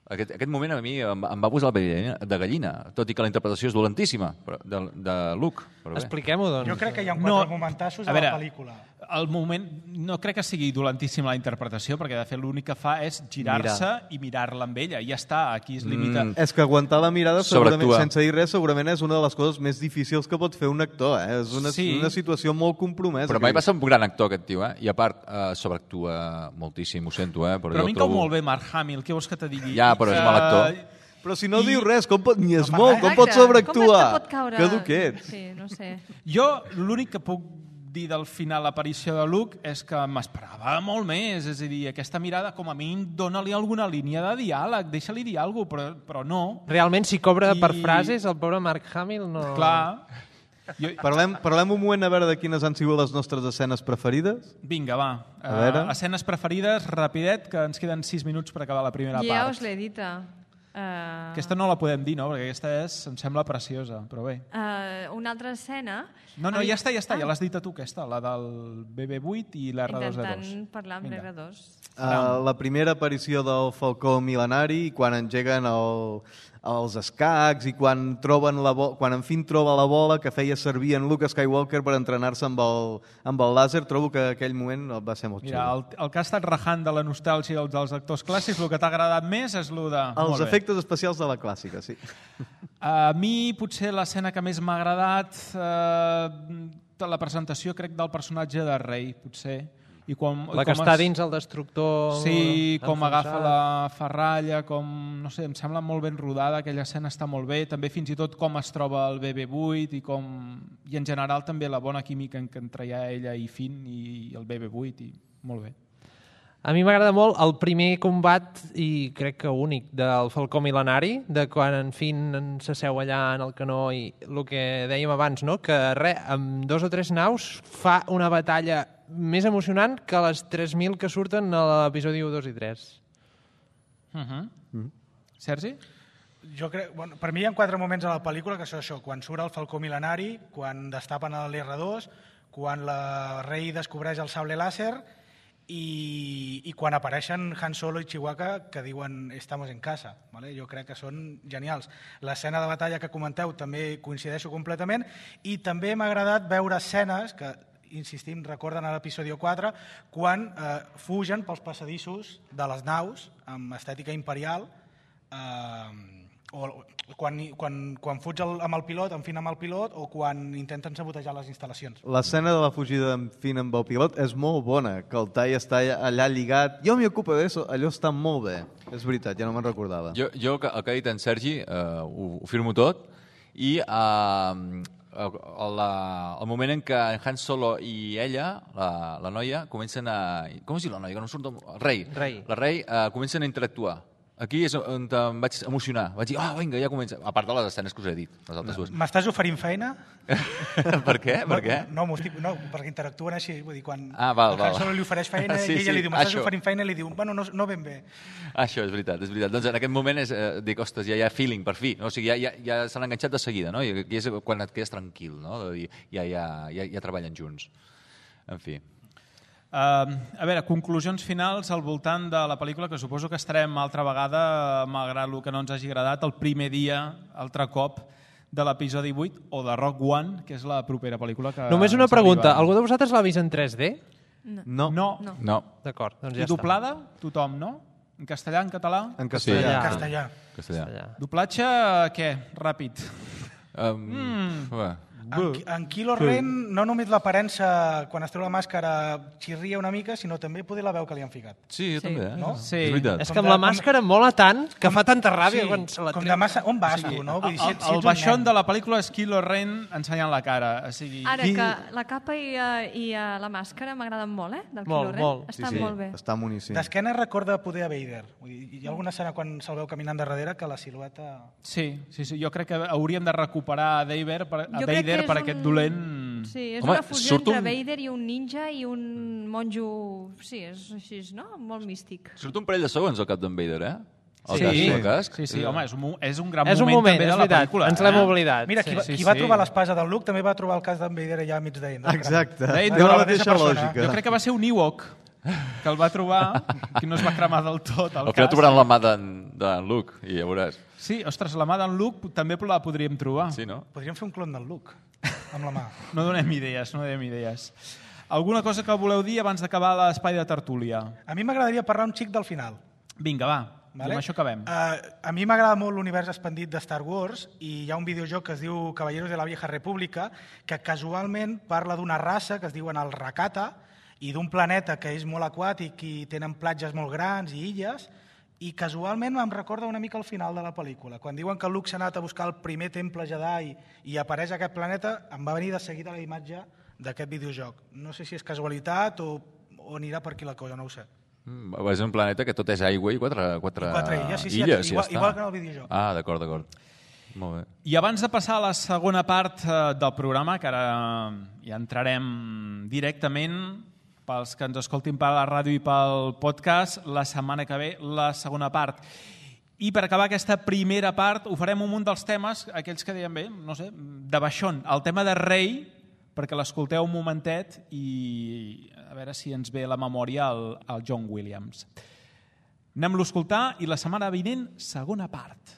I: Aquest, aquest moment a mi em, em va posar la pell de gallina, tot i que la interpretació és dolentíssima però, de, de Luke. Però bé.
G: Expliquem-ho, doncs.
H: Jo crec que hi ha quatre
D: No,
H: momentassos
D: a
H: a,
D: veure,
H: la pel·lícula.
D: El moment, no crec que sigui dolentíssima la interpretació, perquè de fet l'únic que fa és girar-se
E: Mirar.
D: i mirar-la amb ella. I ja està, aquí es limita.
I: Mm.
E: És que aguantar la mirada, segurament,
I: Sobreactua.
E: sense dir res, segurament és una de les coses més difícils que pot fer un actor. Eh? És una,
D: Sí.
E: una situació molt compromesa.
I: Però mai va ser un gran actor, aquest tio, eh? I a part, eh, sobreactua moltíssim, ho sento, eh? Però,
D: Però a
I: jo
D: mi em
I: trobo...
D: cau molt bé Mark Hamill, què vols que te digui?
I: Ja, però és
D: Que-
I: mal actor.
E: Però si no
D: I-
E: diu res, com pot, ni es
F: No,
E: mou, com pot
F: exacte.
E: sobreactuar?
F: Com és que pot caure?
E: Que dur que ets.
F: Sí, no sé.
D: Jo l'únic que puc dir del final l'aparició de Luke és que m'esperava molt més, és a dir, aquesta mirada com a mínim dona-li alguna línia de diàleg, deixa-li dir alguna cosa, però, però no.
G: Realment, si cobra
D: I-
G: per frases, el pobre Mark Hamill no...
D: Clar. Jo,
E: Parlem, parlem un moment a veure de quines han sigut les nostres escenes preferides.
D: vinga, va.
E: A veure.
D: Uh, escenes preferides, rapidet, que ens queden sis minuts per acabar la primera
F: Ja
D: part.
F: us l'he dita. Uh,
D: Aquesta no la podem dir, no? Perquè aquesta és, em sembla preciosa, però bé.
F: uh, una altra escena...
D: No, no,
F: A mi-
D: ja està, ja està,
F: Ah,
D: ja l'has dit a tu, aquesta, la del B B vuit i l'R dos D dos.
F: Intentant parlar amb
D: Vinga.
F: l'R dos.
E: Uh, la primera aparició del Falcó mil·lenari, quan engeguen el, els escacs i quan troben la bo quan en fin troba la bola que feia servir en Luke Skywalker per entrenar-se amb, el, amb el làser, trobo que aquell moment va ser molt
D: Mira,
E: xulo.
D: el, el que ha estat rajant de la nostàlgia dels, dels actors clàssics, el que t'ha agradat més és el de...
E: Els
D: Molt bé.
E: efectes especials de la clàssica, sí.
D: A mi, potser l'escena que més m'ha agradat, eh, de la presentació, crec, del personatge de Rey, potser. I com,
G: La que
D: com
G: està
D: es-
G: dins el destructor...
D: Sí, com
G: enfonsat.
D: agafa la ferralla, com, no sé, em sembla molt ben rodada, aquella escena està molt bé, també fins i tot com es troba el B B vuit i com, i en general també la bona química en què entreia ella i Finn i el B B vuit, i molt bé.
G: A mi m'agrada molt el primer combat, i crec que únic, del Falcó Mil·lenari, de quan en Finn s'asseu allà en el canó i el que dèiem abans, no? Que res, amb dos o tres naus fa una batalla més emocionant que les tres mil que surten a l'episodi u, dos i tres.
D: Uh -huh. mm. Sergi?
H: Jo crec, bueno, per mi hi ha quatre moments a la pel·lícula que són això, quan surt el Falcó Mil·lenari, quan destapen l'R dos, quan la Rey descobreix el sable làser i, i quan apareixen Han Solo i Chewbacca que diuen estamos en casa. ¿Vale? Jo crec que són genials. L'escena de batalla que comenteu també coincideixo completament i també m'ha agradat veure escenes que, insistim, recorden a l'episodi quatre, quan eh, fugen pels passadissos de les naus amb estètica imperial, eh, o quan, quan, quan fuig el, amb el pilot, en fin amb el pilot, o quan intenten sabotejar les instal·lacions.
E: L'escena de la fugida d'en Finn amb el pilot és molt bona, que el tall està allà lligat. Jo m'hi ocupo d'això, allò està molt bé. És veritat, ja no me'n recordava.
I: Jo, jo el, que, el que ha dit en Sergi, eh, ho, ho firmo tot, i eh, el, la, el moment en què Han Solo i ella, la, la noia, comencen a... Com es diu la noia? Que no surt el, el rei.
G: Rei.
I: La rei eh, comencen a interactuar. Aquí és on em vaig emocionar. Vaig dir, ah, oh, vinga, ja comença. A part de les escenes que us he dit, les altres dues.
H: M'estàs oferint feina?
I: Per què? Per què?
H: No, no, estic, no, perquè interactuen així. Vull dir, quan
I: Ah, val,
H: el
I: val.
H: Han Solo li ofereix feina
I: Sí,
H: i ella
I: sí,
H: li diu, m'estàs
I: això.
H: oferint feina, i li diu, bueno, no, no ben bé.
I: Això, és veritat, és veritat. Doncs en aquest moment és, eh, dic, ostres, ja hi ha feeling, per fi. No? O sigui, ja, ja, ja s'han enganxat de seguida, no? I aquí és quan et quedes tranquil, no? De dir, ja, ja, ja, ja treballen junts. En fi.
D: Uh, a veure, conclusions finals al voltant de la pel·lícula, que suposo que estarem altra vegada, malgrat el que no ens hagi agradat, el primer dia, altre cop, de l'episodi vuit, o de Rogue One, que és la propera pel·lícula que...
G: Només una
D: ens
G: pregunta.
D: arriba.
G: Algú de vosaltres l'ha vist en tres D?
E: No.
D: No.
F: No.
I: No.
G: D'acord, doncs
D: I
G: ja està.
D: doblada? Tothom, no? En castellà, en català?
E: En
G: Sí,
E: castellà.
G: ja.
H: En castellà.
I: Castellà.
G: Allà.
D: Doblatge, què? Ràpid.
I: Um,
D: Mm.
I: ué.
H: En, Qui- en Kylo Ren, no només l'aparença quan es treu la màscara xirria una mica, sinó també poder la veu que li han ficat.
I: Sí, jo
F: Sí.
I: també, eh?
H: No?
D: Sí.
I: És veritat.
G: És
H: Com
G: que amb
H: de-
G: la màscara mola tant que fa tanta ràbia
H: Sí,
G: quan se la
H: com
G: treu.
H: de massa... On vas tu, no? Vull dir, si,
D: El,
H: si ets
D: el
H: un
D: baixón
H: nen.
D: de la pel·lícula és Kylo Ren ensenyant la cara. O sigui,
F: Ara
D: qui-
F: que la capa i, uh, i uh, la màscara m'agraden molt, eh? Del
G: Molt,
F: Kylo Ren.
G: molt.
F: Està
E: Sí, sí,
F: molt bé.
E: està boníssim.
H: D'esquena recorda poder a Vader. Vull dir, hi ha alguna escena quan se'l veu caminant de darrere que la silueta...
D: Sí, sí, sí, jo crec que hauríem de recuperar a Vader per, a
F: Jo crec
D: Vader
F: que
D: per
F: és
D: aquest
F: un-
D: dolent...
F: Sí, és
I: Home,
F: una fusió
I: surt
F: entre
I: un-
F: Vader i un ninja i un monjo... Sí, és així, no? Molt místic.
I: Surt un parell de segons al cap d'en Vader, eh? El
D: Sí,
I: casc,
D: sí,
I: el casc.
D: sí, sí, home, és un, mo- és un gran
G: És un
D: moment,
G: moment,
D: també
G: és
D: de la
G: veritat.
D: pel·lícula.
G: Ens l'hem
D: eh?
G: oblidat.
H: Mira, qui, va,
D: Sí,
H: qui
D: sí,
H: va
D: sí.
H: trobar l'espasa del Luke també va trobar el cas d'en Vader allà a mig d'ell. No?
E: Exacte.
D: D'ell,
E: Té
D: de
E: la
D: la
E: mateixa
H: persona.
E: lògica.
D: Jo crec que va ser un Ewok. que el va trobar, que no es va cremar del tot el
I: Al final
D: cas.
I: trobaran la mà d'en d'en Luke, i ja veuràs.
D: Sí, ostres, la mà d'en Luke també la podríem trobar.
I: Sí, no?
H: Podríem fer un clon del Luke, amb la mà.
D: No donem idees, no donem idees. Alguna cosa que voleu dir abans d'acabar l'espai de tertúlia?
H: A mi m'agradaria parlar un xic del final.
D: Vinga, va,
H: Vale?
D: i amb això acabem.
H: Uh, a mi m'agrada molt l'univers expandit de Star Wars i hi ha un videojoc que es diu Caballeros de la Vieja República que casualment parla d'una raça que es diuen el Rakata i d'un planeta que és molt aquàtic i tenen platges molt grans i illes i casualment em recorda una mica al final de la pel·lícula. Quan diuen que Luke s'ha anat a buscar el primer temple Jedi i apareix aquest planeta, em va venir de seguida la imatge d'aquest videojoc. No sé si és casualitat o, o anirà per aquí la cosa, no ho sé.
I: Mm, és un planeta que tot és aigua i quatre, quatre,
H: I quatre illes, sí, sí,
I: illes,
H: igual,
I: ja
H: igual
I: està.
H: que en el videojoc.
I: Ah, d'acord, d'acord. Molt bé.
D: I abans de passar a la segona part eh, del programa, que ara ja entrarem directament pels que ens escoltin per la ràdio i pel podcast, la setmana que ve la segona part. I per acabar aquesta primera part ho farem un munt dels temes, aquells que deien bé, no sé, de baixón. El tema de Rey, perquè l'escolteu un momentet i a veure si ens ve a la memòria el, el John Williams. Anem-lo a escoltar i la setmana vinent, segona part.